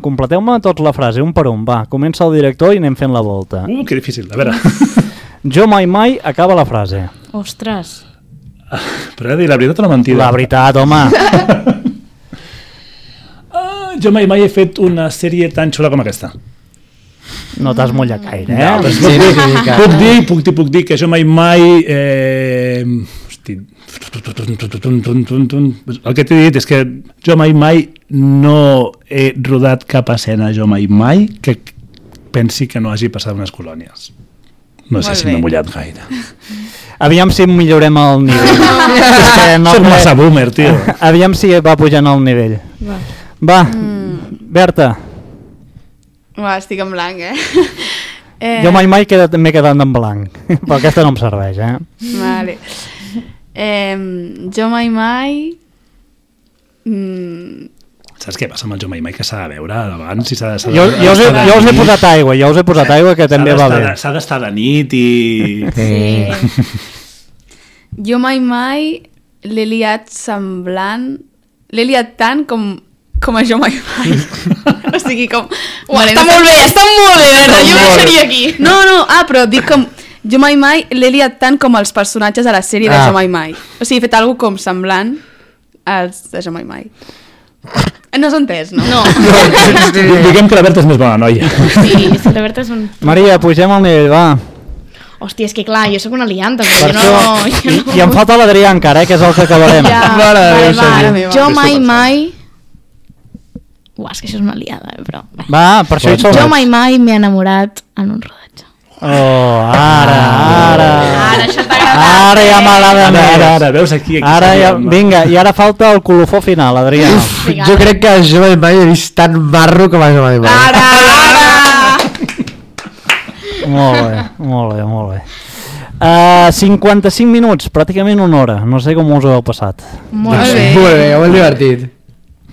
Completeu-me tots la frase, un per un, va. Comença el director i anem fent la volta. Uh, que difícil, a veure. Jo mai mai acaba la frase. Ostres. Però he de dir la veritat o la mentida? La veritat, home. Ah, jo mai mai he fet una sèrie tan xula com aquesta. No t'has mullat gaire, eh? No, però Sí, sí, sí, que- puc dir, puc dir, puc dir que jo mai mai... Eh... Hosti... El que t'he dit és que jo mai mai no he rodat cap escena, jo mai mai que pensi que no hagi passat unes colònies. No sé Molt si bé. m'he mullat gaire. Aviam si millorem el nivell. És que no Soc crec- massa boomer, tio. Aviam si va pujant el nivell. Va. Va, Mm. Berta, Uah, estic en blanc, eh? eh jo mai mai quedat- m'he quedat en blanc, però aquesta no em serveix, eh? Vale. Eh, jo mai mai... Mm, Saps què passa amb el jo mai mai? Que s'ha de veure abans i s'ha de... s'ha de- Jo, jo, us he, s'ha de jo us he nit. posat aigua, jo us he posat aigua que també S'ha va d'estar bé. de- S'ha d'estar de nit i... Sí. jo mai mai l'he liat semblant... L'he liat tant com, com a jo mai mai. o sigui, com... Uah, està molt bé, està molt bé, Berta, jo molt bé. deixaria aquí. No, no, ah, però dic com... Jo mai mai l'he liat tant com els personatges de la sèrie de Ah. Jo mai mai. O sigui, he fet alguna com semblant als de Jo mai mai. No s'ha entès, no? No. Diguem que la Berta és més bona noia. Sí, sí, la veritat és un... Maria, pugem al nivell, va. Hòstia, és que clar, jo sóc una lianta, Per però jo això, no... Jo i, no... i em falta l'Adrià encara, eh, que és el que acabarem. Ja, Mare de vale, Déu, va, senyor. meva. jo Fes-t'ho mai pensar. mai... Uah, és que això és una liada, eh, però... bé. Va, per això hi som. Jo mai mai m'he enamorat en un rodatge. Oh, ara, ara. Ara, això t'ha agradat. Ara ja m'agrada Ara, ara, més. ara, veus aquí... aquí Ara ja, s'arriba. vinga, i ara falta el colofó final, Adrià. Uf, jo crec que jo mai mai he vist tan marro com a jo mai mai. Ara, ara! Molt bé, molt bé, molt bé. Uh, cinquanta-cinc minuts, pràcticament una hora. No sé com us ho heu passat. Molt Molt bé. bé. Molt bé, molt divertit.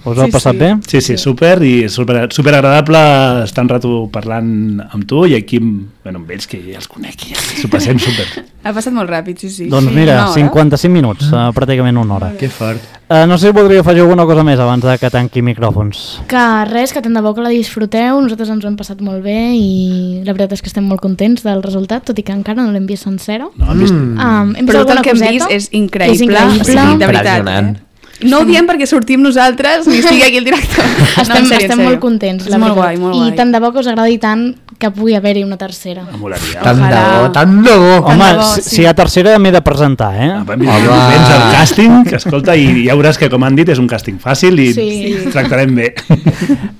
Us ho heu Sí, passat sí. bé? Sí, sí, super, i super, super agradable estar un rato parlant amb tu i aquí, amb, bueno, amb ells, que ja els conec, i s'ho passem super. Ha passat molt ràpid, sí, sí. Doncs Sí, mira, una hora. cinquanta-cinc minuts, uh, pràcticament una hora. Que fort. Uh, no sé si voldria afegir alguna cosa més abans de que tanqui micròfons. Que res, que tant de bo que la disfruteu, nosaltres ens ho hem passat molt bé i la veritat és que estem molt contents del resultat, tot i que encara no l'hem vist sencera. No, hem vist... Mm. Um, hem vist Però tot alguna el que hem coseta. vist és increïble, És increïble. O sigui, de veritat. Impressionant. Eh? No ho diem perquè sortim nosaltres ni estigui aquí el director. Estem, No, en sèrio, en estem sèrio. molt contents, És la molt veritat. guai, molt I guai. tant de bo que us agradi tant que pugui haver-hi una tercera. Em molaria. Tant de Ojalà. bo, tant de bo. Home, de bo, si, sí. si hi ha tercera m'he de presentar, eh? Vam vist moments al càsting, que escolta, i ja veuràs que, com han dit, és un càsting fàcil i Sí. ens tractarem bé.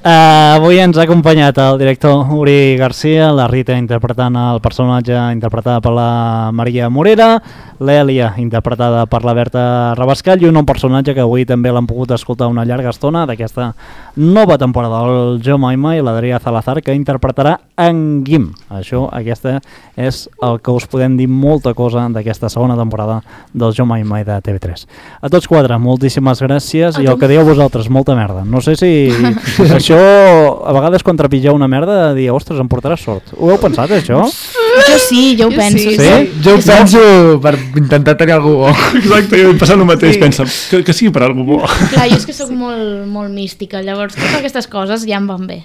Uh, avui ens ha acompanyat el director Uri Garcia, la Rita interpretant el personatge interpretada per la Maria Morera, l'Èlia interpretada per la Berta Rabascall i un nou personatge que avui també l'han pogut escoltar una llarga estona d'aquesta nova temporada, el Jo Mai Mai, l'Adrià Salazar, que interpretarà en Guim. Això, aquesta és el que us podem dir molta cosa d'aquesta segona temporada del Jo Mai Mai de T V tres. A tots quatre, moltíssimes gràcies i el que dieu vosaltres, molta merda. No sé si això, a vegades quan trepitgeu una merda, de dir, ostres, em portarà sort. Ho heu pensat, això? Jo sí, jo ho Jo penso. sí. Sí? Jo ho penso per intentar tenir algú bo. Exacte, jo he passat el mateix, Sí. pensa, que, que sigui per algú bo. Clar, jo és que sóc molt, molt mística, llavors totes aquestes coses ja em van bé.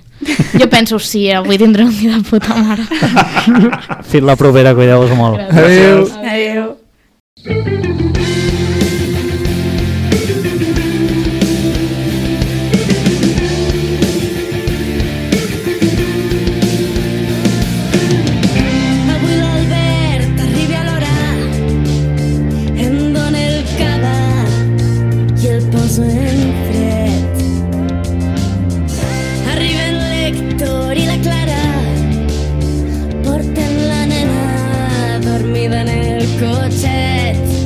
Jo penso, sí, avui tindré un dia de puta mare. Fins la propera, cuideu-vos molt. Adéu. Adéu. Avui l'Albert arribi a l'hora, em dóna el cava i el poso en fred. Arriben l'Héctor i la Clara, porten la nena dormida en el cotxet.